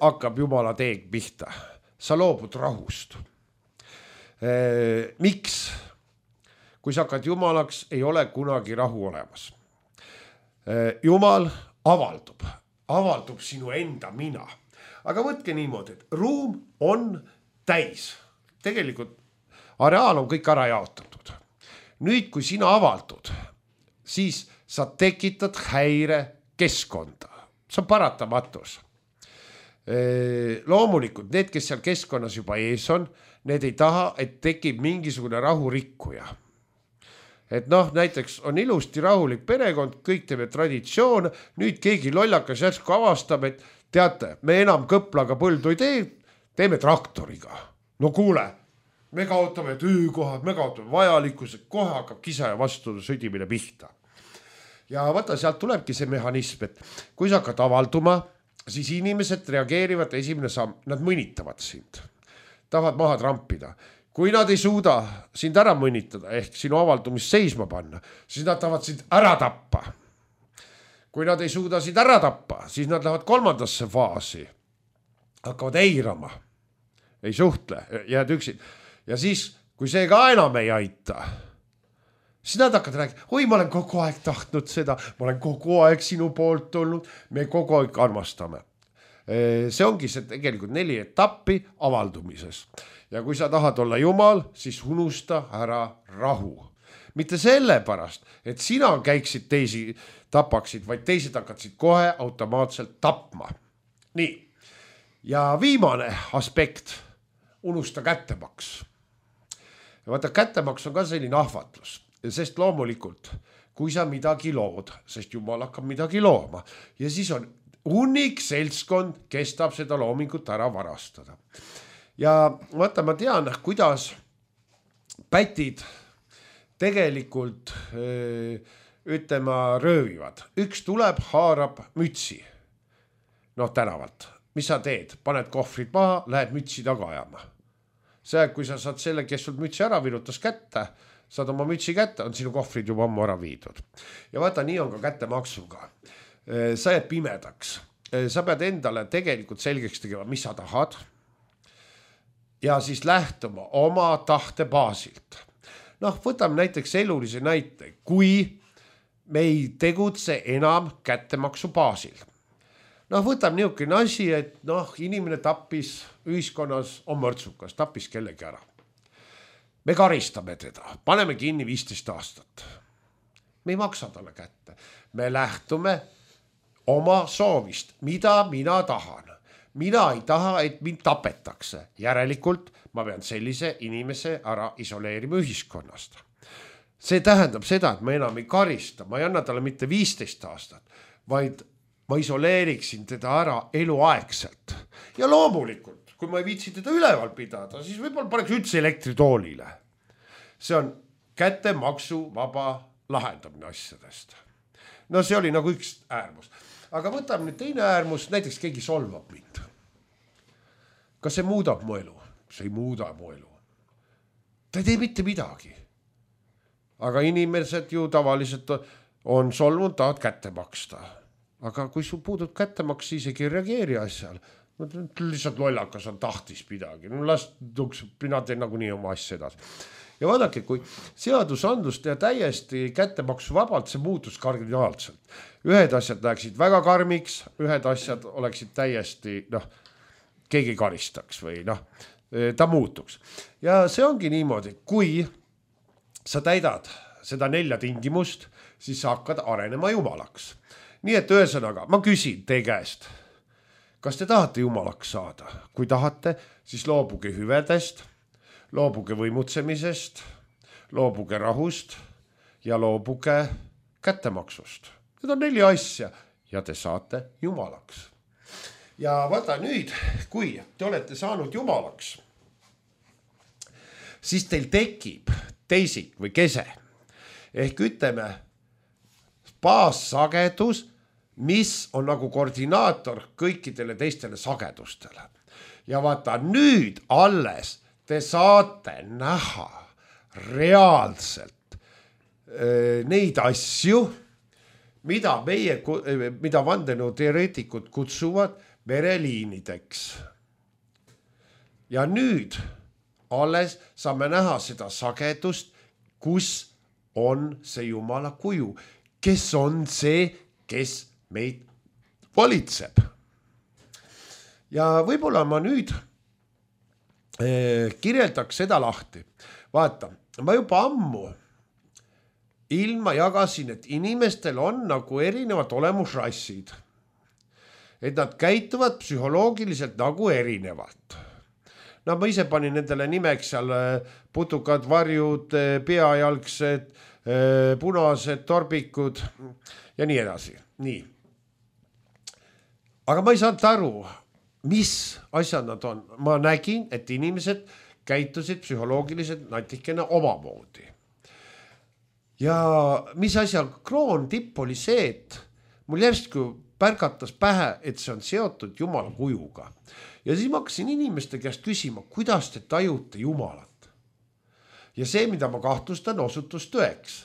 hakkab Jumala teeg pihta. Sa loobud rahust. Miks? Kui sa hakkad Jumalaks, ei ole kunagi rahu olemas. Jumal avaldub sinu enda mina. Aga võtke niimoodi, et ruum on täis. Tegelikult areaal on kõik ära jaotatud. Nüüd, kui sina avaldud, siis sa tekitad häire keskkonda. See on paratamatus. Loomulikult, need, kes seal keskkonnas juba ees on, need ei taha, et tekib mingisugune rahurikkuja. Et näiteks on ilusti rahulik perekond, kõik teeme traditsioon, nüüd keegi lollakas järsku avastab, et teate, me enam kõplaga põldu ei tee, teeme traktoriga. No kuule, me kaotame töökohad, me kaotame vajalikkuse, kohe hakkab kisa ja vastu sõdimine pihta. Ja vaata, sealt tulebki see mehhanism, et kui sa hakkad avalduma, siis inimesed reageerivad esimene samm, nad mõnitavad sind, tahavad maha trampida. Kui nad ei suuda sind ära mõnitada, ehk sinu avaldumist seisma panna, siis nad tahavad sind ära tappa. Kui nad ei suuda sind ära tappa, siis nad lähevad 3. faasi, hakkavad eirama, ei suhtle, jääd üksin. Ja siis, kui see ka enam ei aita, siis nad hakkavad rääkima, oi, ma olen kogu aeg tahtnud seda, ma olen kogu aeg sinu poolt olnud, me kogu aeg armastame. See ongi see tegelikult 4 etappi avaldumises. Ja kui sa tahad olla Jumal, siis unusta ära rahu. Mitte sellepärast, et sina käiksid teisi tapaksid, vaid teised hakkasid kohe automaatselt tapma. Nii. Ja viimane aspekt, unusta kättemaks. Ja vaata, kättemaks on ka selline ahvatlus, sest loomulikult, kui sa midagi lood, sest Jumal hakkab midagi looma ja siis on hunnik seltskond, kes tahab seda loomingut ära varastada. Ja vaata, ma tean, kuidas pätid tegelikult ütlema röövivad. Üks tuleb, haarab mütsi. Tänavalt. Mis sa teed? Paned kohvrid maha, lähed mütsi taga ajama. See, kui sa saad selle, kes sul mütsi ära virutas kätte, saad oma mütsi kätte, on sinu kohvrid juba ammu ära viidud. Ja vaata, nii on ka kättemaksuga. Sa jääd pimedaks. Sa pead endale tegelikult selgeks tegema, mis sa tahad. Ja siis lähtuma oma tahte baasilt. Võtame näiteks elulise näite, kui me ei tegutse enam kättemaksu baasil. Võtame niisugune asi, et inimene tappis ühiskonnas, on mörtsukas, tappis kellegi ära. Me karistame teda, paneme kinni 15 aastat. Me ei maksa talle kätte. Me lähtume oma soovist, mida mina tahan. Mina ei taha, et mind tapetakse. Järelikult ma pean sellise inimese ära isoleerima ühiskonnast. See tähendab seda, et ma enam ei karista, ma ei anna talle mitte 15 aastat, vaid ma isoleeriksin teda ära eluaegselt. Ja loomulikult, kui ma ei viitsi teda üleval pidada, siis võib-olla paneks üldse elektritoolile. See on kättemaksu vaba lahendamine asjadest. See oli nagu üks äärmus. Aga võtame nüüd teine äärmus, näiteks keegi solvab mind. Kas see muudab mu elu? See ei muuda mu elu. Ta ei tee mitte midagi. Aga inimesed ju tavaliselt on solvunud, tahavad kätte maksta. Aga kui sul puudub kättemaks, siis ei reageeri asjal. Lihtsalt lollakas on tahtis midagi. Mina teen nagu nii oma asja edasi. Ja vaadake, kui seadusandlust ja täiesti kättemaksu vabalt, see muutus kardinaalselt. Ühed asjad läheksid väga karmiks, ühed asjad oleksid täiesti, keegi karistaks või ta muutuks. Ja see ongi niimoodi, kui sa täidad seda 4 tingimust, siis sa hakkad arenema jumalaks. Nii et ühesõnaga, ma küsin teie käest, kas te tahate jumalaks saada? Kui tahate, siis loobuge hüvedest, loobuge võimutsemisest, loobuge rahust ja loobuge kättemaksust. Need on 4 asja ja te saate jumalaks. Ja vaata nüüd, kui te olete saanud jumalaks, siis teil tekib teisik või kese. Ehk ütleme, baassagedus, mis on nagu koordinaator kõikidele teistele sagedustele. Ja vaata nüüd alles te saate näha reaalselt neid asju, mida vandenõuteoreetikud kutsuvad vereliinideks. Ja nüüd alles saame näha seda sagedust, kus on see Jumala kuju, kes on see, kes meid valitseb. Ja võib-olla ma nüüd kirjeldaks seda lahti. Vaata, ma juba ammu ilma jagasin, et inimestel on nagu erinevad olemusrassid. Et nad käituvad psühholoogiliselt nagu erinevalt. Ma ise panin nendele nimeks seal putukad, varjud, peajalgsed, punased, torbikud ja nii edasi. Nii. Aga ma ei saanud aru, mis asjad nad on. Ma nägin, et inimesed käitusid psühholoogiliselt natikene omamoodi. Ja mis asja kroontipp oli see, et mul järsku pärgatas pähe, et see on seotud Jumala kujuga. Ja siis ma hakkasin inimeste käest küsima, kuidas te tajute Jumalat. Ja see, mida ma kahtlustan, osutus tõeks.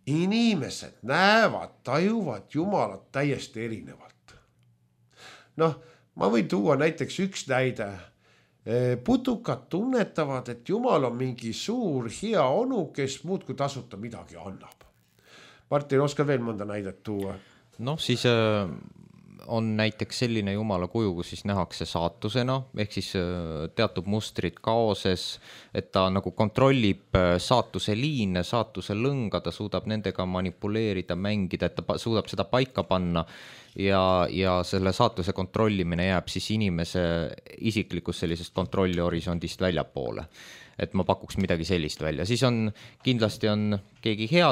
Inimesed näevad, tajuvad Jumalat täiesti erinevalt. Ma võin tuua näiteks üks näide. putukad tunnetavad, et Jumal on mingi suur hea onu, kes muudkui tasuta midagi annab. Martin, oskad veel mõnda näidet tuua? Noh, siis on näiteks selline Jumala kuju, kus siis nähakse saatusena, ehk siis teatud mustrid kaoses, et ta nagu kontrollib saatuse liine, saatuse lõnga, ta suudab nendega manipuleerida, mängida, et ta suudab seda paika panna ja selle saatuse kontrollimine jääb siis inimese isiklikust sellisest kontrollihorisondist väljapoole. Et ma pakuks midagi sellist välja. Siis on, kindlasti on keegi hea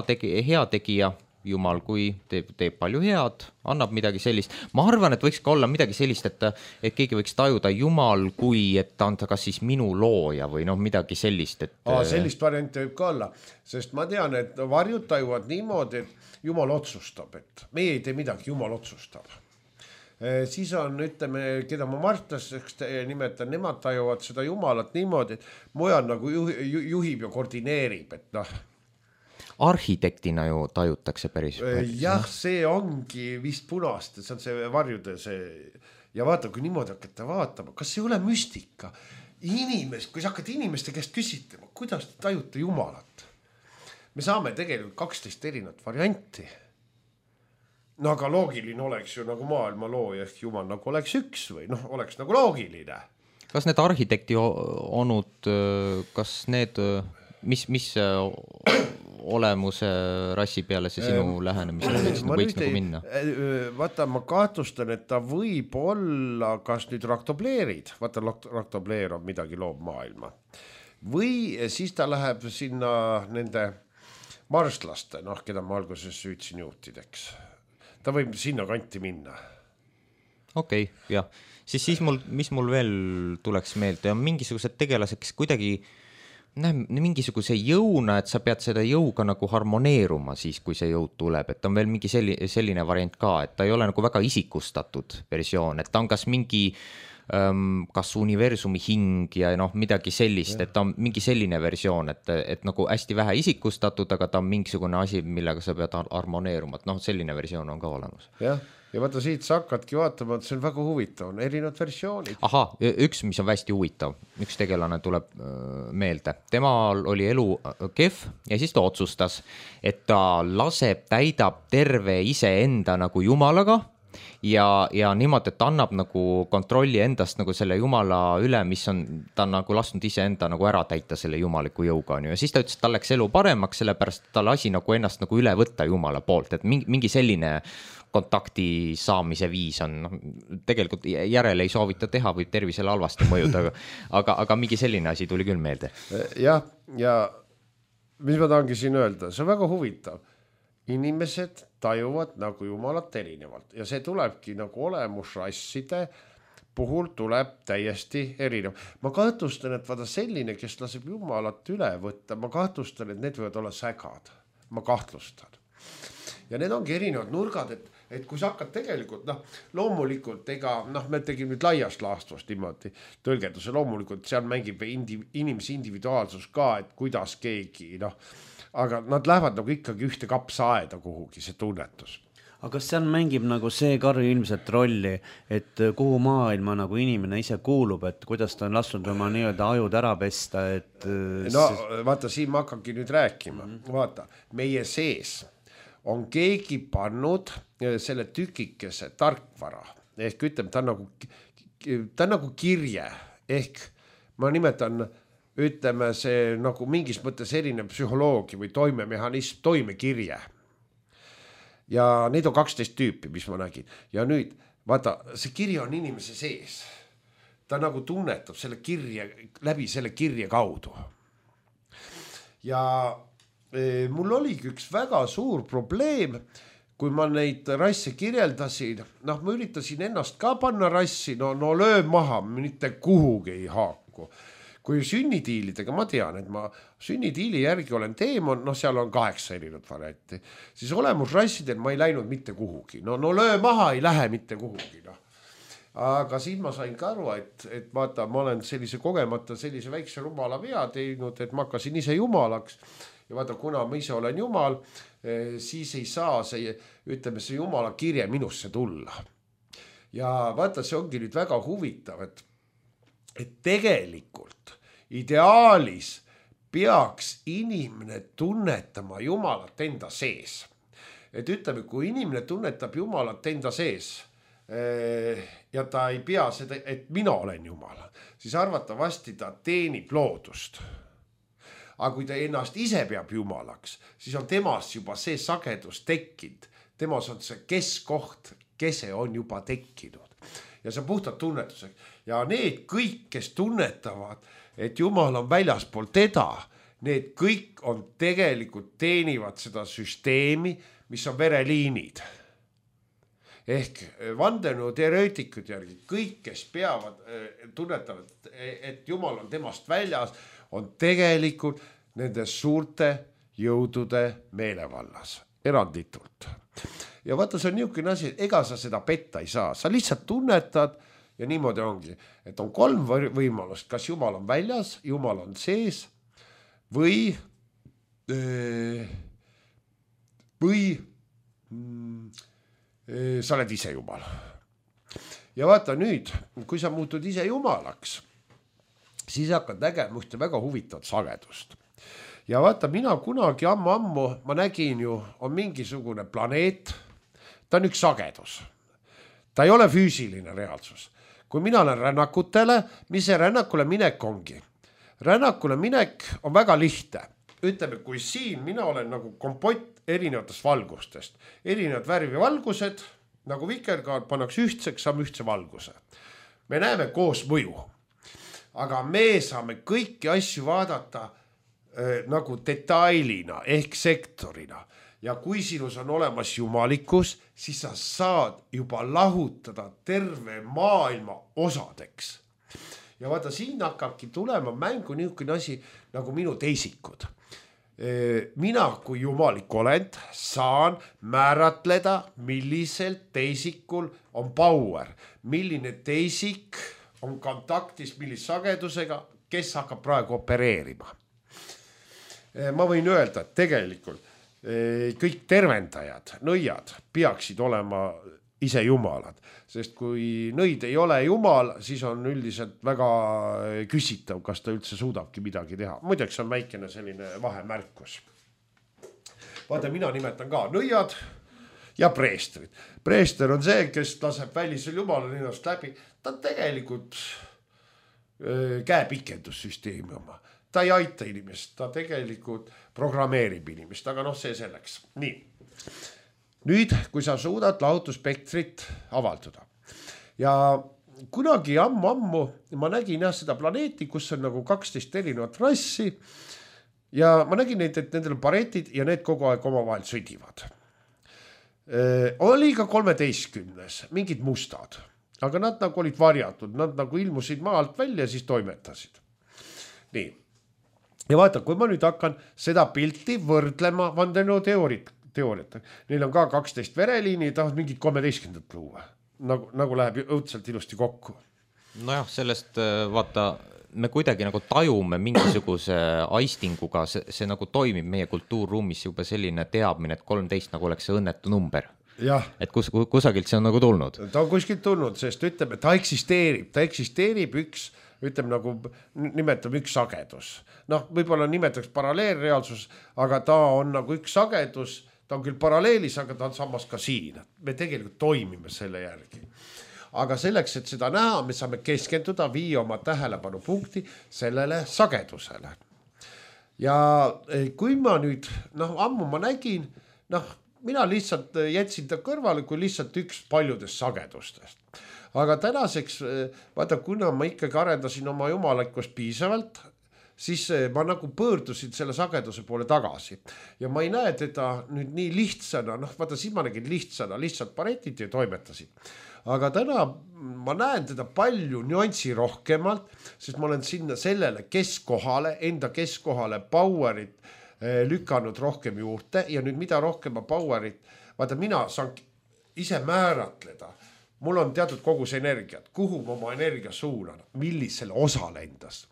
tegija, Jumal, kui teeb palju head, annab midagi sellist. Ma arvan, et võiks ka olla midagi sellist, et keegi võiks tajuda Jumal, kui et ta on ta kas siis minu looja või noh, midagi sellist. Sellist varianti võib ka olla, sest ma tean, et varjud tajuvad niimoodi, et Jumal otsustab, et meie ei tee midagi, Jumal otsustab. Siis on, ütleme, keda ma Martlaseks nimetan, nemad tajuvad seda Jumalat niimoodi, et mujal nagu juhib ja koordineerib, et noh, arhitektina ju tajutakse päris. Jah, see ongi vist punast, see on see varjude see ja vaata, kui niimoodi hakata vaatama, kas see ei ole müstika kui sa hakkad inimeste käest küsitlema, kuidas te tajute Jumalat, me saame tegelikult 12 erinevat varianti. No aga loogiline oleks ju nagu maailma looja ehk Jumal nagu oleks üks või noh, oleks nagu loogiline. Kas need arhitekti onud, kas need, mis olemuse rassi peale see sinu lähenemisel võiks nagu minna? Vaata, ma kahtlustan, et ta võib olla, kas nüüd raktobleerid, vaata raktobleer on midagi loob maailma, või siis ta läheb sinna nende marslaste, noh, keda ma alguses süütsin juutideks. Ta võib sinna kanti minna. Okei, jah. Siis mis mul veel tuleks meelde, on mingisugused tegelased, kes kuidagi mingisuguse jõuna, et sa pead seda jõuga nagu harmoneeruma siis, kui see jõud tuleb, et on veel mingi selline variant ka, et ta ei ole nagu väga isikustatud versioon, et ta on kas mingi kas universumi hing ja noh, midagi sellist, et ta on mingi selline versioon, et nagu hästi vähe isikustatud, aga ta on mingisugune asi, millega sa pead harmoneeruma, et noh, selline versioon on ka olemas. Jah. Ja vaata siit sa hakkadki vaatama, et see on väga huvitav, on erinevad versioonid. Aha, üks, mis on hästi huvitav, üks tegelane tuleb meelde. Temal oli elu kehv ja siis ta otsustas, et ta täidab terve iseenda nagu Jumalaga ja niimoodi, et ta annab nagu kontrolli endast nagu selle Jumala üle, mis on, ta on nagu lasknud iseenda nagu ära täita selle jumaliku jõuga. Ja siis ta ütles, et tal läks elu paremaks, sellepärast ta lasi nagu ennast nagu üle võtta Jumala poolt, et mingi selline kontakti saamise viis on, tegelikult järele ei soovita teha, võib tervisele halvasti mõjuda, aga mingi selline asi tuli küll meelde. Jah, ja mis ma tahangi siin öelda, see on väga huvitav. Inimesed tajuvad nagu Jumalat erinevalt ja see tulebki nagu olemusrasside puhul tuleb täiesti erinev. Ma kahtlustan, et vaata selline, kes laseb Jumalat üle võtta, ma kahtlustan, et need võivad olla sägad. Ma kahtlustan. Ja need ongi erinevad nurgad, et kui sa hakkad tegelikult, loomulikult, me tegime nüüd laiast laastvast niimoodi tõlgenduse, loomulikult seal mängib inimese individuaalsus ka, et kuidas keegi, aga nad lähevad nagu ikkagi ühte kapsaaeda kuhugi, see tunnetus. Aga kas seal mängib nagu see Karri ilmselt rolli, et kuhu maailma nagu inimene ise kuulub, et kuidas ta on lasknud oma nii-öelda ajud ära pesta, et... Vaata, siin ma hakkangi nüüd rääkima. Vaata, meie sees on keegi pannud selle tükikese tarkvara, ehk ütleme, ta on nagu kirje, ehk ma nimetan, ütleme, see nagu mingis mõttes erinev psühholoogi või toimemehhanism, toimekirje. Ja neid on 12 tüüpi, mis ma nägin. Ja nüüd, vaata, see kirje on inimese sees. Ta nagu tunnetab selle kirje, läbi selle kirje kaudu. Ja mul oligi üks väga suur probleem, kui ma neid rasse kirjeldasin, ma üritasin ennast ka panna rassi, no löö maha, mitte kuhugi ei haaku. Kui sünnitiilidega, ma tean, et ma sünnitiili järgi olen teemon, seal on 8 erinevat varianti, siis olemusrassidel ma ei läinud mitte kuhugi. No löö maha ei lähe mitte kuhugi. Aga siis ma sain ka aru, et vaata, ma olen sellise kogemata sellise väikse rumala vea teinud, et ma hakkasin ise jumalaks. Ja vaata, kuna ma ise olen jumal, siis ei saa see jumala kirje minusse tulla. Ja vaata, see ongi nüüd väga huvitav, et tegelikult ideaalis peaks inimene tunnetama Jumalat enda sees. Et ütleme, kui inimene tunnetab Jumalat enda sees ja ta ei pea seda, et mina olen Jumal, siis arvatavasti ta teenib loodust. Aga kui ta ennast ise peab Jumalaks, siis on temas juba see sagedus tekkinud. Temas on see keskoht, kese on juba tekkinud. Ja see on puhtalt tunnetuseks. Ja need kõik, kes tunnetavad, et Jumal on väljaspool teda, need kõik on tegelikult teenivad seda süsteemi, mis on vereliinid. Ehk vandenõuteoreetikud järgi kõik, kes peavad, tunnetavad, et Jumal on temast väljas, on tegelikult nende suurte jõudude meelevallas, eranditult. Ja vaata, see on niisugune asi, ega sa seda petta ei saa, sa lihtsalt tunnetad ja niimoodi ongi, et on 3 võimalust, kas Jumal on väljas, Jumal on sees või sa oled ise Jumal. Ja vaata nüüd, kui sa muutud ise Jumalaks, siis hakkad nägema ühte väga huvitavat sagedust. Ja vaata, mina kunagi ammu, ma nägin ju, on mingisugune planeet, ta on üks sagedus. Ta ei ole füüsiline reaalsus. Kui mina olen rännakutele, mis see rännakule minek ongi? Rännakule minek on väga lihtne. Ütleme, kui siin mina olen nagu kompott erinevatest valgustest. Erinevad värvi valgused, nagu vikerkaar pannakse ühtseks, saame ühtse valguse. Me näeme koos mõju. Aga me saame kõiki asju vaadata nagu detailina ehk sektorina. Ja kui sinus on olemas jumalikkus, siis sa saad juba lahutada terve maailma osadeks. Ja vaata, siin hakkabki tulema mängu niisugune asi nagu minu teisikud. Mina kui jumalik olend saan määratleda, millisel teisikul on power, milline teisik on kontaktis millise sagedusega, kes hakkab praegu opereerima. Ma võin öelda, et tegelikult kõik tervendajad, nõiad peaksid olema ise jumalad, sest kui nõid ei ole jumal, siis on üldiselt väga küsitav, kas ta üldse suudabki midagi teha. Muideks on väikene selline vahemärkus. Vaata, mina nimetan ka nõiad ja preestrid. Preester on see, kes laseb välisel jumalal ennast läbi. Ta on tegelikult käepikendussüsteemi oma. Ta ei aita inimest, ta tegelikult programmeerib inimest, aga see selleks. Nii. Nüüd, kui sa suudad lahutusspektrit avaldada. Ja kunagi ammu ma nägin seda planeeti, kus on nagu 12 erinevat rassi ja ma nägin neid, et nendel on paretid ja need kogu aeg omavahel sõdivad. Oli ka 13, mingid mustad, aga nad nagu olid varjatud, nad nagu ilmusid maalt välja ja siis toimetasid. Nii. Ja vaata, kui ma nüüd hakkan seda pilti võrdlema vandenõuteooriat, neil on ka 12 vereliini ja tahavad mingit 13 luua. Nagu läheb õudselt ilusti kokku. Nojah, sellest vaata, me kuidagi nagu tajume mingisuguse aistinguga, see nagu toimib meie kultuurruumis juba selline teadmine, et 13 nagu oleks see õnnetu number. Jah. Et kusagilt see on nagu tulnud. Ta on kuskilt tulnud, sest ütleme, ta eksisteerib üks, ütleme nagu nimetame üks sagedus. Võib-olla nimetaks paralleelreaalsus, aga ta on nagu üks sagedus, ta on küll paralleelis, aga ta on samas ka siin. Me tegelikult toimime selle järgi. Aga selleks, et seda näha, me saame keskenduda, viia oma tähelepanu punkti sellele sagedusele. Ja kui ma nüüd, ammu ma nägin, mina lihtsalt jätsin ta kõrvale kui lihtsalt üks paljudest sagedustest. Aga tänaseks, vaata, kuna ma ikkagi arendasin oma jumalakkust piisavalt, siis ma nagu pöördusin selle sageduse poole tagasi. Ja ma ei näe teda nüüd nii lihtsana, vaata, siis ma nägin lihtsana, lihtsalt paretid ja toimetasin. Aga täna ma näen teda palju nüanssi rohkemalt, sest ma olen sinna sellele keskohale, enda keskohale powerit lükanud rohkem juurde ja nüüd mida rohkem ma powerit, vaata, mina saan ise määratleda. Mul on teatud kogus energiat, kuhu ma oma energia suunan, millisele osale endas.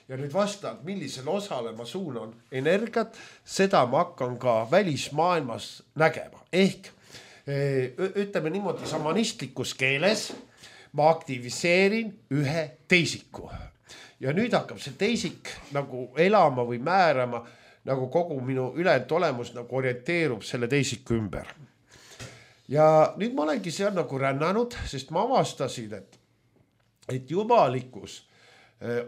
Ja nüüd vastavalt, millisele osale ma suunan energiat, seda ma hakkan ka välismaailmas nägema. Ehk ütleme niimoodi samanistlikus keeles, ma aktiviseerin ühe teisiku ja nüüd hakkab see teisik nagu elama või määrama, nagu kogu minu ülejäänud olemus nagu orienteerub selle teisiku ümber. Ja nüüd ma olengi seal nagu rännanud, sest ma avastasin, et jumalikkus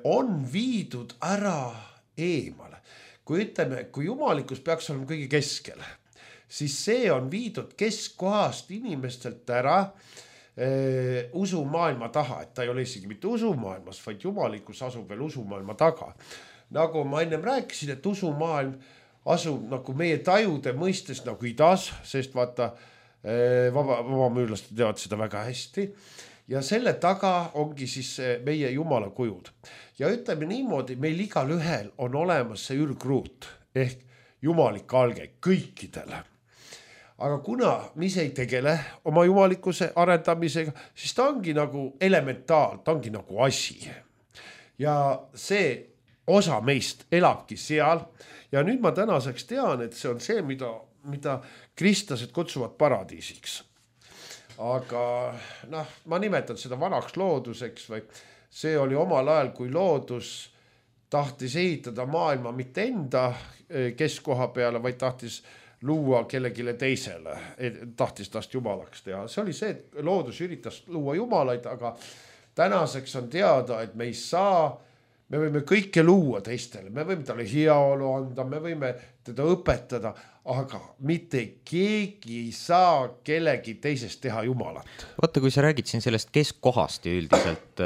on viidud ära eemale. Kui ütleme, kui jumalikkus peaks olema kõige keskel, siis see on viidud keskkohast inimestelt ära usumaailma taha, et ta ei ole isegi mitte usumaailmas, vaid jumalikkus asub veel usumaailma taga. Nagu ma ennem rääkisin, et usumaailm asub nagu meie tajude mõistes nagu idas, sest vaata, vabamüürlased teavad seda väga hästi. Ja selle taga ongi siis meie jumala kujud. Ja ütleme niimoodi, meil igal ühel on olemas see ürgruut ehk jumalik alge kõikidele. Aga kuna mis ei tegele oma jumalikkuse arendamisega, siis ta ongi nagu elementaal, ta ongi nagu asi. Ja see osa meist elabki seal ja nüüd ma tänaseks tean, et see on see, mida kristlased kutsuvad paradiisiks. Aga ma nimetan seda vanaks looduseks või see oli omal ajal, kui loodus tahtis ehitada maailma mitte enda keskkoha peale, vaid tahtis luua kellegile teisele, tahtis tast jumalaks teha. See oli see, et loodus üritas luua jumalaid, aga tänaseks on teada, et me ei saa, me võime kõike luua teistele, me võime talle heaolu anda, me võime teda õpetada, aga mitte keegi ei saa kellegi teisest teha jumalat. Vaata, kui sa räägid siin sellest keskkohast ja üldiselt,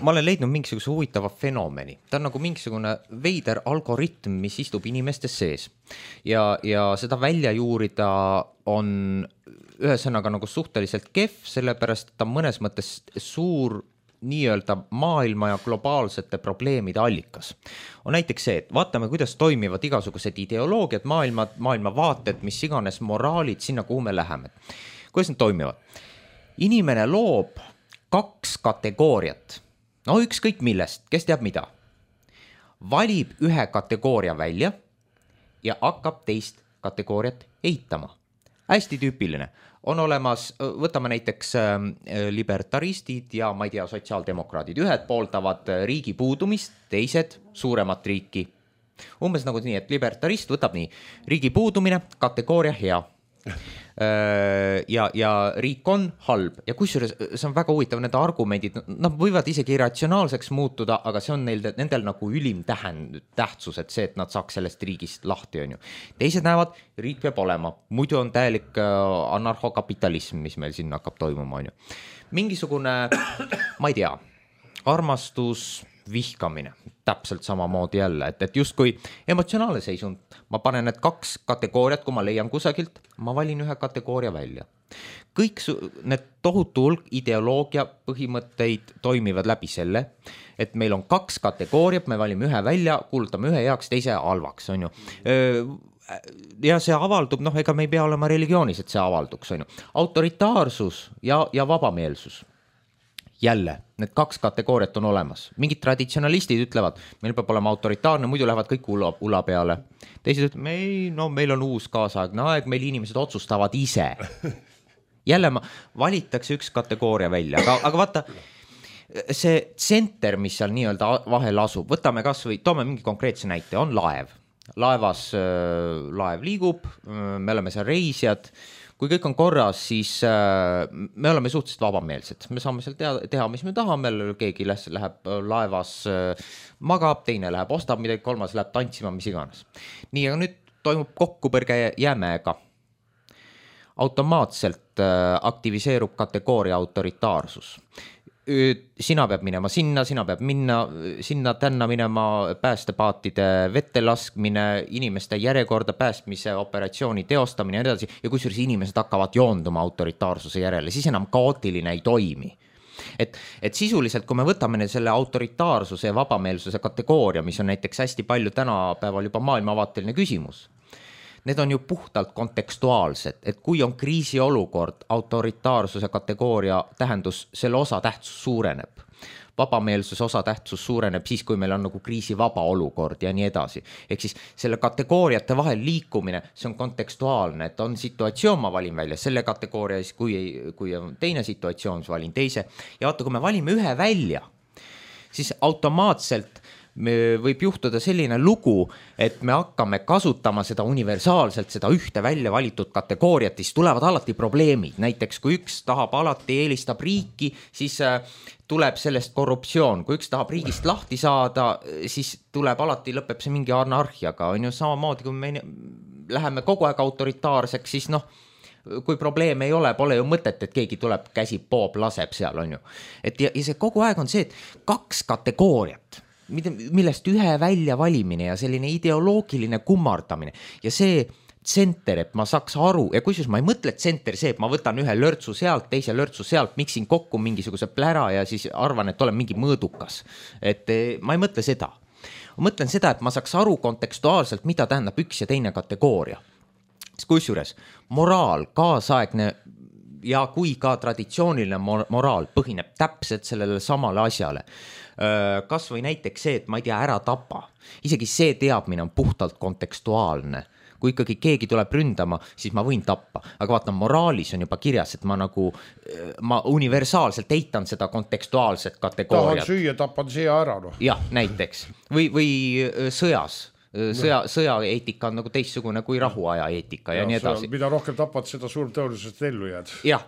ma olen leidnud mingisuguse huvitava fenomeni. Ta on nagu mingisugune veider algoritm, mis istub inimestes sees. Ja seda välja juurida on ühesõnaga nagu suhteliselt kehv, sellepärast ta mõnes mõttes suur nii-öelda maailma ja globaalsete probleemide allikas. On näiteks see, et vaatame, kuidas toimivad igasugused ideoloogiad, maailma vaated, mis iganes moraalid sinna, kuhu me läheme. Kuidas need toimivad? Inimene loob 2 kategooriat. No ükskõik millest, kes teab mida. Valib ühe kategooria välja ja hakkab teist kategooriat eitama. Hästi tüüpiline. On olemas, võtame näiteks libertaristid ja ma ei tea, sotsiaaldemokraadid. Ühed pooldavad riigi puudumist, teised suuremat riiki. Umbes nagu nii, et libertarist võtab nii, riigi puudumine, kategooria hea. Ja riik on halb ja kusjuures see on väga huvitav, need argumendid, nad võivad isegi irratsionaalseks muutuda, aga see on nendel nagu ülim tähtsus, et see, et nad saaks sellest riigist lahti, on ju. Teised näevad, riik peab olema, muidu on täielik anarhokapitalism, mis meil siin hakkab toimuma, on ju. Mingisugune, ma ei tea, armastus, vihkamine, täpselt samamoodi jälle, et just kui emotsionaalne seisund, ma panen need 2 kategooriat, kui ma leian kusagilt, ma valin ühe kategooria välja. Kõik need tohutu hulk ideoloogia põhimõtteid toimivad läbi selle, et meil on 2 kategooriat, me valime ühe välja, kuulutame ühe heaks, teise halvaks, on ju. Ja see avaldub, ega me ei pea olema religioonis, et see avalduks, on ju. Autoritaarsus ja vabameelsus. Jälle, need 2 kategooriat on olemas. Mingid traditsionalistid ütlevad, meil peab olema autoritaarne, muidu lähevad kõik ula peale. Teised ütlevad, meil on uus kaasaegne aeg, meil inimesed otsustavad ise. Jälle valitakse 1 kategooria välja, aga vaata, see tsenter, mis seal nii-öelda vahel asub, võtame kas või, toome mingi konkreetse näite, on laev. Laev liigub, me oleme seal reisijad. Kui kõik on korras, siis me oleme suhteliselt vabameelsed. Me saame seal teha, mis me tahame. Keegi läheb laevas magab, teine läheb ostab midagi, kolmas läheb tantsima, mis iganes. Nii, aga nüüd toimub kokkupõrge jäämäega. Automaatselt aktiviseerub kategooria autoritaarsus. Sina peab minema sinna peab sinna tänna minema, päästepaatide vette laskmine, inimeste järjekorda päästmise operatsiooni teostamine ja edasi. Ja kusjuures inimesed hakkavad joonduma autoritaarsuse järele, siis enam kaootiline ei toimi. Et sisuliselt, kui me võtame selle autoritaarsuse ja vabameelsuse kategooria, mis on näiteks hästi palju tänapäeval juba maailmavaateline küsimus, need on ju puhtalt kontekstuaalsed, et kui on kriisiolukord, autoritaarsuse kategooria tähendus, selle osa tähtsus suureneb. vabameelsuse osatähtsus suureneb siis, kui meil on nagu kriisivaba olukord ja nii edasi. Ehk siis selle kategooriate vahel liikumine, see on kontekstuaalne, et on situatsioon, ma valin välja selle kategooria, siis kui on teine situatsioon, siis valin teise. Ja vaata, kui me valime ühe välja, siis automaatselt võib juhtuda selline lugu, et me hakkame kasutama seda universaalselt, seda ühte välja valitud kategooriat, siis tulevad alati probleemid. Näiteks kui üks tahab alati eelistab riiki, siis tuleb sellest korruptsioon. Kui üks tahab riigist lahti saada, siis tuleb alati, lõpeb see mingi anarhiaga. On ju samamoodi, kui me läheme kogu aeg autoritaarseks, siis kui probleeme ei ole, pole ju mõtet, et keegi tuleb, käsi poob, laseb seal, on ju. Ja see kogu aeg on see, et 2 kategooriat, millest ühe välja valimine ja selline ideoloogiline kummardamine ja see tsenter, et ma saaks aru ja kusjuures ma ei mõtle, et tsenter see, et ma võtan ühe lörtsu sealt, teise lörtsu sealt, miksin kokku mingisuguse plära ja siis arvan, et olen mingi mõõdukas. Et ma ei mõtle seda. Ma mõtlen seda, et ma saaks aru kontekstuaalselt, mida tähendab üks ja teine kategooria. Kusjuures moraal, kaasaegne ja kui ka traditsiooniline moraal põhineb täpselt sellele samale asjale. Kas või näiteks see, et ma ei tea, ära tapa. Isegi see teadmine on puhtalt kontekstuaalne. Kui ikkagi keegi tuleb ründama, siis ma võin tappa. Aga vaata, moraalis on juba kirjas, et ma universaalselt eitan seda kontekstuaalset kategooriat. Tahan süüa, tapan siia ära. Jah, näiteks. Või sõjas. Sõjaeetika on nagu teistsugune kui rahuaja eetika ja nii edasi. Mida rohkem tapad, seda suur tõenäoliselt ellu jääd. Jah,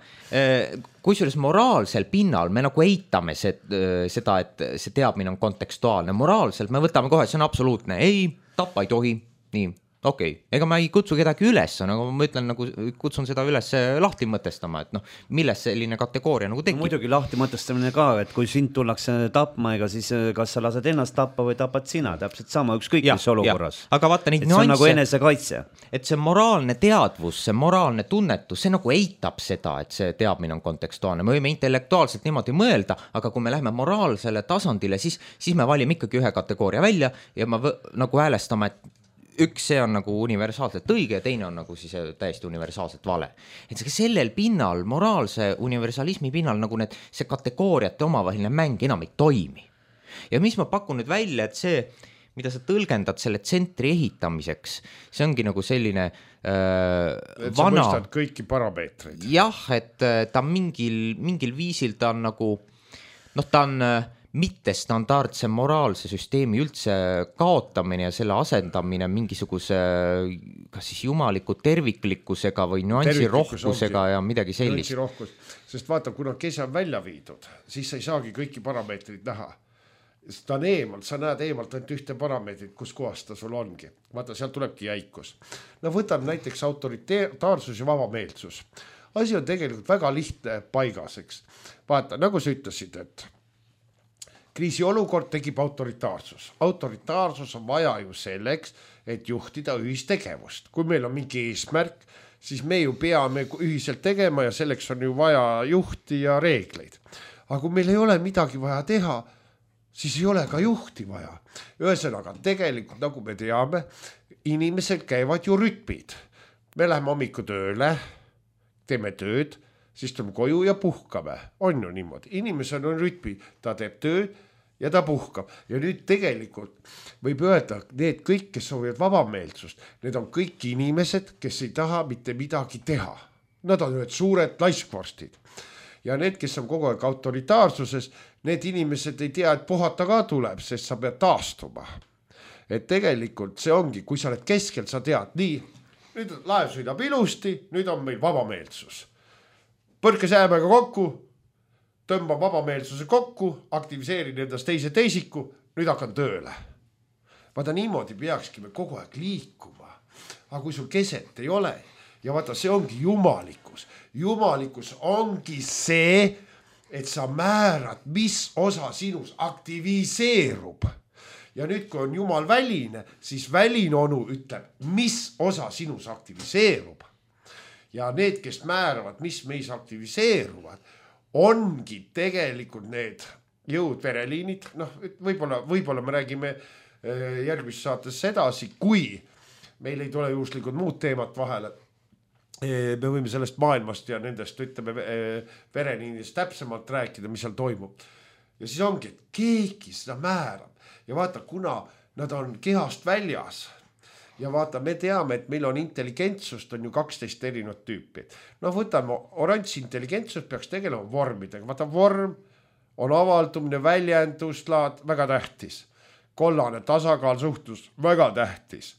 kusjuures moraalsel pinnal me nagu eitame seda, et see teadmine on kontekstuaalne. Moraalselt me võtame kohe, see on absoluutne. Ei, tappa ei tohi. Nii, okei. Ega ma ei kutsu kedagi üles, nagu ma ütlen, nagu kutsun seda üles lahti mõtestama, et milles selline kategooria nagu tekib. Muidugi lahti mõtestamine ka, et kui sind tullakse tapma, ega siis kas sa lased ennast tappa või tapad sina, täpselt sama ükskõik mis olukorras. Aga vaata neid nüansse. See on nagu enesekaitse. Et see moraalne teadvus, see moraalne tunnetus, see nagu eitab seda, et see teadmine on kontekstuaalne. Me võime intellektuaalselt niimoodi mõelda, aga kui me läheme moraalsele tasandile, siis me valime ikkagi ühe kategooria välja ja ma nagu häälestama, et üks see on nagu universaalselt õige ja teine on nagu siis täiesti universaalselt vale. Et sellel pinnal, moraalse universalismi pinnal nagu see kategooriate omavaheline mäng enam ei toimi. Ja mis ma pakun nüüd välja, et see, mida sa tõlgendad selle tsentri ehitamiseks, see ongi nagu selline et sa mõistad kõiki parameetreid. Jah, et ta mingil viisil ta on nagu, ta on mittestandardse moraalse süsteemi üldse kaotamine ja selle asendamine mingisuguse kas siis jumaliku terviklikkusega või nüansirohkusega ja midagi sellist. Sest vaata, kuna kese on välja viidud, siis sa ei saagi kõiki parameetrid näha. Ta on eemalt, sa näed eemalt ainult ühte parameetrit, kus kohas ta sul ongi. Vaata, seal tulebki jäikus. Võtame näiteks autoritaarsus ja vabameelsus. Asi on tegelikult väga lihtne paigaseks. Vaata, nagu sa ütlesid, et kriisiolukord tegib autoritaarsus. Autoritaarsus on vaja ju selleks, et juhtida ühistegevust. Kui meil on mingi eesmärk, siis me ju peame ühiselt tegema ja selleks on ju vaja juhti ja reegleid. Aga kui meil ei ole midagi vaja teha, siis ei ole ka juhti vaja. Ühesõnaga, tegelikult, nagu me teame, inimesed käivad ju rütmid. Me läheme hommiku tööle, teeme tööd, siis tuleme koju ja puhkame. On ju niimoodi. Inimesel on rütmi, ta teeb tööd ja ta puhkab. Ja nüüd tegelikult võib öelda, need kõik, kes soovivad vabameelsust, need on kõik inimesed, kes ei taha mitte midagi teha. Nad on ühed suured laiskvorstid. Ja need, kes on kogu aeg autoritaarsuses, need inimesed ei tea, et puhata ka tuleb, sest sa pead taastuma. Et tegelikult see ongi, kui sa oled keskel, sa tead, nii, nüüd laev sõidab ilusti, nüüd on meil vabameelsus. Põrke säämega kokku, tõmban vabameelsuse kokku, aktiviseerin endast teisiku, nüüd hakkan tööle. Vaata, niimoodi peakski me kogu aeg liikuma. Aga kui sul keset ei ole, ja vaata, see ongi jumalikkus. Jumalikkus ongi see, et sa määrad, mis osa sinus aktiviseerub. Ja nüüd, kui on jumal väline, siis väline onu ütleb, mis osa sinus aktiviseerub. Ja need, kes määravad, mis meis aktiviseeruvad, ongi tegelikult need jõud vereliinid. Võib-olla me räägime järgmises saates sedasi, kui meil ei tule juhuslikud muud teemat vahele. Me võime sellest maailmast ja nendest, ütleme, vereliinidest täpsemalt rääkida, mis seal toimub. ja siis ongi, et keegi seda määrab ja vaata, kuna nad on kehast väljas ja vaata, me teame, et meil on intelligentsust on ju 12 erinevat tüüpi. No võtame oranž intelligentsus peaks tegelema vormidega. Vaata, vorm on avaldumine, väljenduslaad, väga tähtis. Kollane tasakaal, suhtlus, väga tähtis.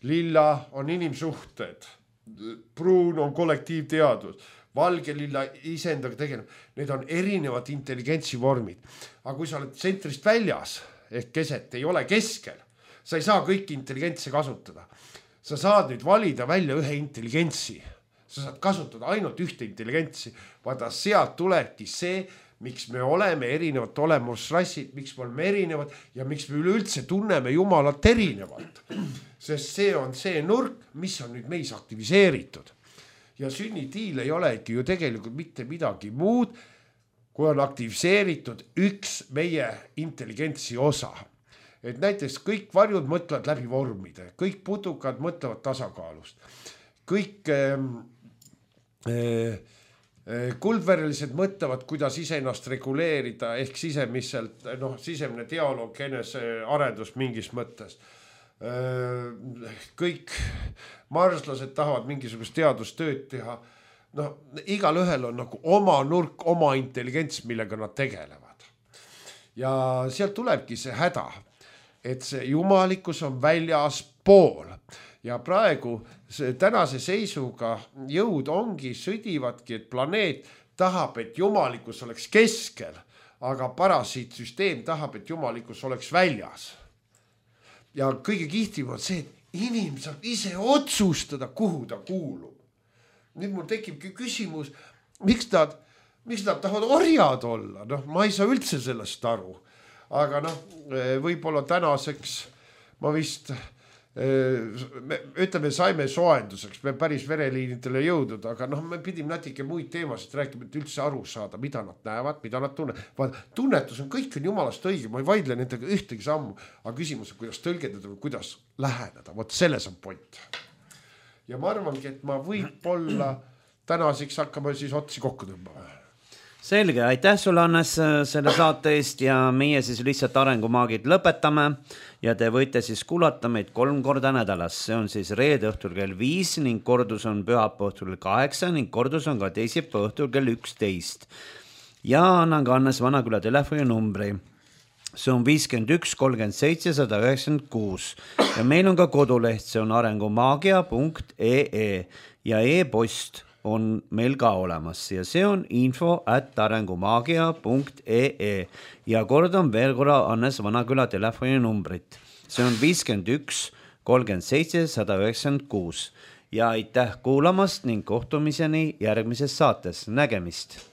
Lilla on inimsuhted. Pruun on kollektiivteadus. Valge lilla iseendaga tegeleb. Need on erinevad intelligentsi vormid. Aga kui sa oled tsentrist väljas, ehk keset ei ole keskel, sa ei saa kõiki intelligentse kasutada. Sa saad nüüd valida välja ühe intelligentsi. Sa saad kasutada ainult ühte intelligentsi. Vaata, sealt tulebki see, miks me oleme erinevad olemusrassid, miks me oleme erinevad ja miks me üleüldse tunneme Jumalat erinevalt. Sest see on see nurk, mis on nüüd meis aktiviseeritud. Ja sünnitiil ei olegi ju tegelikult mitte midagi muud, kui on aktiviseeritud üks meie intelligentsi osa. Et näiteks kõik varjud mõtlevad läbi vormide, kõik putukad mõtlevad tasakaalust, kõik kuldverelised mõtlevad, kuidas iseennast reguleerida ehk sisemiselt, sisemine dialoog, enese arendus mingis mõttes. Kõik marslased tahavad mingisugust teadustööd teha. Igal ühel on nagu oma nurk, oma intelligents, millega nad tegelevad. Ja sealt tulebki see häda, et see jumalikkus on väljas pool ja praegu tänase seisuga jõud ongi, sõdivadki, et planeet tahab, et jumalikkus oleks keskel, aga parasiitsüsteem tahab, et jumalikkus oleks väljas. Ja kõige kihtim on see, et inimene saab ise otsustada, kuhu ta kuulub. Nüüd mul tekibki küsimus, miks nad tahavad orjad olla? Ma ei saa üldse sellest aru. Aga võib-olla tänaseks ma vist, ütleme, saime soenduseks, me päris vereliinidele jõudnud, aga me pidime natuke muid teemasid rääkima, et üldse aru saada, mida nad näevad, mida nad tunnevad. Tunnetus on, kõik on jumalast õige, ma ei vaidle nendega ühtegi sammu, aga küsimus on, kuidas tõlgendada või kuidas läheneda, vot selles on point. Ja ma arvangi, et ma võib-olla tänaseks hakkame siis otsi kokku tõmbama. Selge, aitäh sulle, Hannes, selle saate eest ja meie siis lihtsalt arengumaagid lõpetame ja te võite siis kuulata meid 3 korda nädalas. See on siis reede õhtul kell 5 ning kordus on pühapäeva õhtul kell 8 ning kordus on ka teisipäeva õhtul kell 11. Ja annan ka Hannes Vanaküla telefoni numbri. See on 51 37 196 ja meil on ka koduleht, see on arengumaagia.ee ja e-post on meil ka olemas ja see on info@arengumaagia.ee ja kordan veel korra Hannes Vanaküla telefoni numbrit. See on 51 37 196 ja aitäh kuulamast ning kohtumiseni järgmises saates. Nägemist!